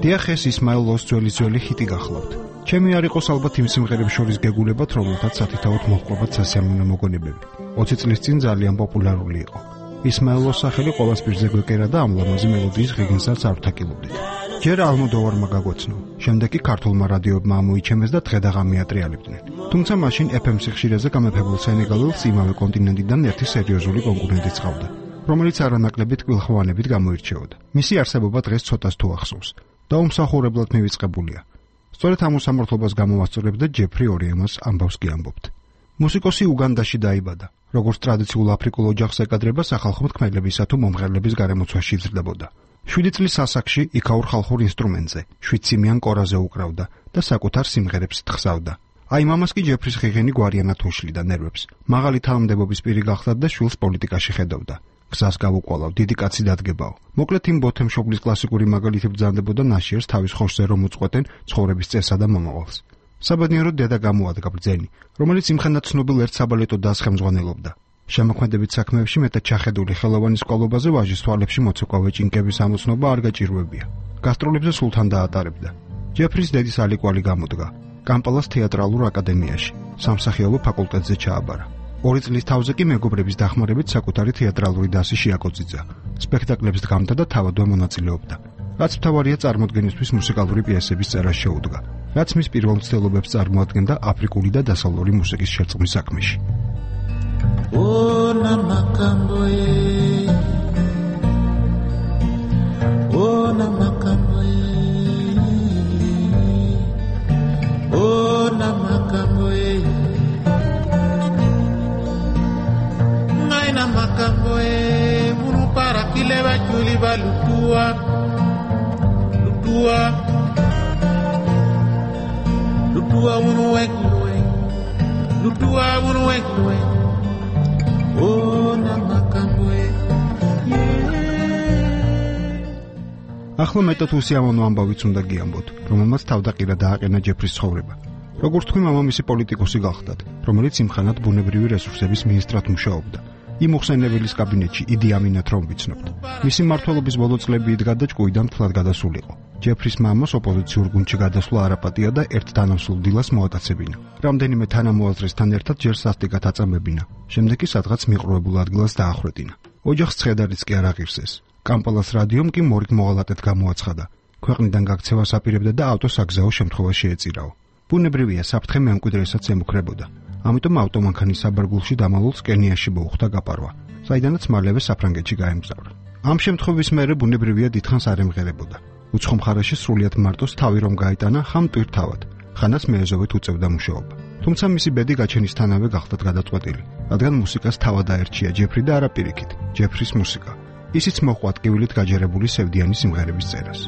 S10: დიახ, ეს ისმაილ ოსძველის ძველი ჰიტი გახლავთ. ჩემი არ იყოს ალბათ იმ სიმღერებს შორის გეგულებათ, რომელთაც სათითაოდ მოჰყვებათ სასიამოვნო მოგონებები. ოცი წლის წინ ძალიან პოპულარული იყო. ისმაილოს სახელი ყოველს პირზე გვეკერა და ამ ლამაზი მელოდიის ღიგინსაც არ ვთაკილობდით. ჯერ ალმოდოვარმა გაგვეცნო, შემდეგ კი ქართულმა რადიოებმა ამოიჩემეს და დღე-დაღამი ატრიალებდნენ. თუმცა მაშინ ეფ ემ სიხშირეზე გამეფებულ სენეგალელს იმავე კონტინენტიდან ერთი სერიოზული კონკურენტი წყავდა, რომელიც არანაკლებით კვილხვანებით გამოირჩეოდა. მისი არსებობა დღეს ცოტას თუ ახსოვს და უმსახურებლად მივიწყებულია. სწორედ ამ უსამართლობას გამოვასწორებ და ჯეფრი ორიემას ამბავს კი ამბობთ. მუსიკოსი უგანდაში დაიბადა, როგორც ტრადიციულ აფრიკულ ოჯახს ეკადრება სახალხო მთქმელებისა თუ მომღერლების გარემოცვაში იზრდებოდა. შვიდი წლის ასაკში იქაურ ხალხურ ინსტრუმენტზე, შვიდციმიან კორაზე უკრავდა და საკუთარ სიმღერებს თხზავდა. აი მამას კი ჯეფრის ღიღენი გვარიანად უშლიდა ნერვებს. მაღალი თანამდებობის პირი გახდა და შვილს პოლიტიკაში ხედავდა. გზას გავუყოლავ, დიდი კაცი დადგებაო. მოკლედ იმ ბოთემშობლის კლასიკური მაგალითი ბრძანდებოდა ნაშიერს თავის ხორცზე რომ უწყვეტენ ცხოვრების წესსა და მომავალს. საბედნიეროდ დედა გამოადგა ბრძენი, რომელიც იმხანად ცნობილ ერთ საბალეტო დასს ხელმძღვანელობდა. შემოქმედებით საქმეებში მეტად ჩახედული ხელოვანის ყოლობაზე ვაჟის თვალებში მოცეკვავე ჭინკების ამოცნობა არ გაჭირვებია. გასტროლებზე სულთან დაატარებდა. ჯეფრის დედის ალიკვალი გამოდგა. კამპალას თეატრალურ აკადემიაში, სამსახიობო ფაკულტეტზე ჩააბარა. ორი წლის თავზე კი მეგობრების დახმარებით საკუთარი თეატრალური დასი შეაკოწიძა. სპექტაკლებს დგამდა და თავადვე მონაწილეობდა. რაც მთავარია წარმოდგენისთვის მუსიკალური პიესების წერას შეუდგა, რაც მის პირველ მცდელობებს წარმოადგენდა აფრიკული და დასავლური მუსიკის შერწყმის საქმეში.
S11: Ona makamboe Ona makamboe Ona makamboe Naina makamboe Munu para kileba chuli balutua Lutua Lutua unu wek luek Lutua unu wek luek
S10: ახლა მეტად უსიამოვნო ამბავიც უნდა გიამბოთ, რომელმაც თავდაყირა დააყენა ჯეფრის ცხოვრება. როგორც თქვი, მამამისი პოლიტიკოსი გახლდათ, რომელიც იმხანად ბუნებრივი რესურსების მინისტრად მუშაობდა. იმ უხსენებელის კაბინეტში იდი ამინათ რომ ვიცნობთ. მისი მმართველობის ბოლო წლები იდგა და ჭკუიდან თლად გადასულიყო. ჯეფრის მამას ოპოზიციურ გუნდში გადასვლა არაპატია და ერთ თანამსხვილ დილას მოატაცებინა. რამდენიმე თანამოაზრესთან ერთად ჯერ სასტიკად აწამებინა. შემდეგ კი სადღაც მიყრუებულ ადგილას დაახვრეტინა. ოჯახს ცხედარიც კი არ აღირსეს. კამპალას რადიომ კი მორიგ მოღალატედ გამოაცხადა. ქვეყნიდან გაქცევას აპირებდა და ავტოსაგზაო შემთხვევა შეეწირაო. ბუნებრივია, საფრთხე მემკვიდრესაც ემუქრებოდა. ამიტომ ავტომანქანის საბარგულში დამალულს კენიაში მოუხდა გაპარვა, საიდანაც მალევე საფრანგეთში გაემგზავრა. ამ შემთხვევის მერე ბუნებრივია დიდხანს არ ემღერებოდა. უცხო მხარეში სრულიად მარტოს თავი რომ გაიტანა ხამ ტვირთავად, ხანას მეეზოვით უწევდა მუშაობა. თუმცა მისი ბედი გაჩენისთანავე გახლდათ გადაწყვეტილი, რადგან მუსიკას თავად აერჩია ჯეფრი და არა პირიქით, ჯეფრის მუსიკა. ისიც მოყვა ტკივილით გაჯერებული სევდიანი სიმღერების წერას.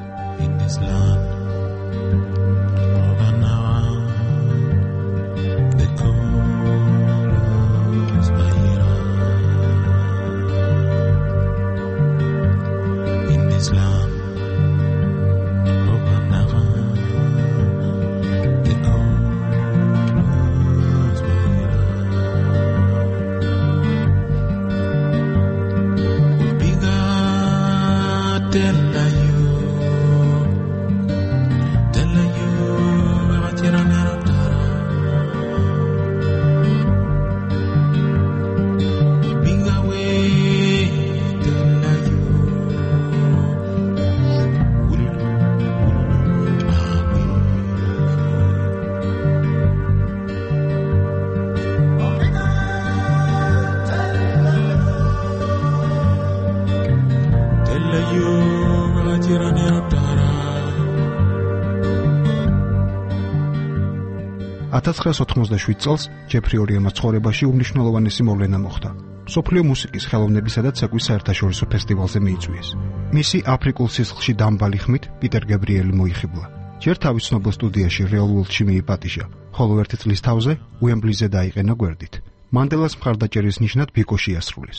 S10: ათას ცხრაასი ოთხმოცდაშვიდ წელს ჯეფრი ორიემას ცხოვრებაში უმნიშვნელოვანესი მოვლენა მოხდა. მსოფლიო მუსიკის ხელოვნებისა და ცეკვის საერთაშორისო ფესტივალზე მიიწვიეს. მისი აფრიკულ სისხლში დამბალი ხმით პიტერ გებრიელი მოიხიბლა. ჯერ თავის ცნობილ სტუდიაში რეალ ვორლდში მიიპატიჟა, ხოლო ერთი წლის თავზე უემბლიზე დაიყენა გვერდით. მანდელას მხარდაჭერის ნიშნად ბიკოში ასრულეს.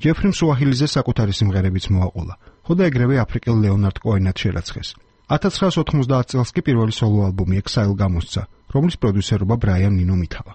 S10: ჯეფრიმ სუაჰილიზე საკუთარი სიმღერებიც მოაყოლა, ხო და ეგრევე აფრიკელ ლეონარდ კოენად შერაცხეს. ათას ცხრაასი ოთხმოცდაათი წელს კი პირველი სოლო ალბომი Exile გამოსცა, რომლის პროდიუსერობა ბრაიან ნინო მითავა.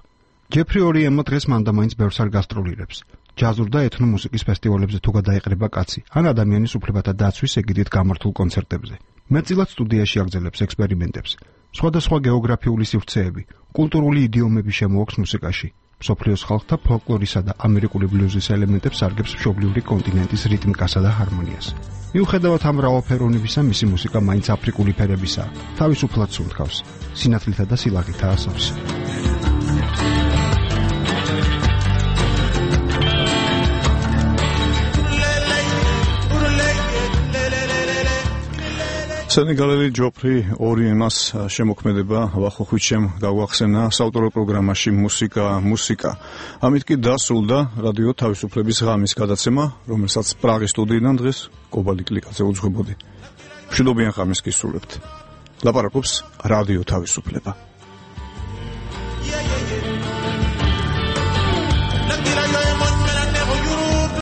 S10: ჯეფრი ორიემმა დღეს მანდამაინც ბევრს არ გასტროლირებს. ჯაზურ და ეთნო მუსიკის ფესტივალებზე თუ გადაეყრება კაცი, ან ადამიანის უფლებათა დაცვის ეგიდით გამართულ კონცერტებზე. მეტწილად სტუდიაში აგრძელებს ექსპერიმენტებს. სხვადასხვა გეოგრაფიული სივრცეები, კულტურული იდიომები შემოაქვს მუსიკაში. მსოფლიოს ხალხთა ფოლკლორისა და ამერიკული ბლუზის ელემენტებს სარგებს მშობლიური კონტინენტის რიტმიკასა და ჰარმონიას. მიუხედავად ამ მრავალფეროვნებისა, მისი მუსიკა მაინც აფრიკული ფერებისაა, თავისუფლად სუნთქავს, სინათლითა და სილაღითაა სავსე.
S1: სენეგალელი ჯოფრი ორი ემას შემოქმედება ვახოხვით შემ გაუახსენა საავტორო პროგრამაში მუსიკა მუსიკა. ამით კი დასრულდა რადიო თავისუფლების ღამის გადაცემა, რომელსაც პრაღის სტუდიიდან დღეს კობალტ კლიკაძე უძღვებოდი. მშვიდობიან ღამეს გისურვებთ. ლაპარაკობს რადიო თავისუფლება.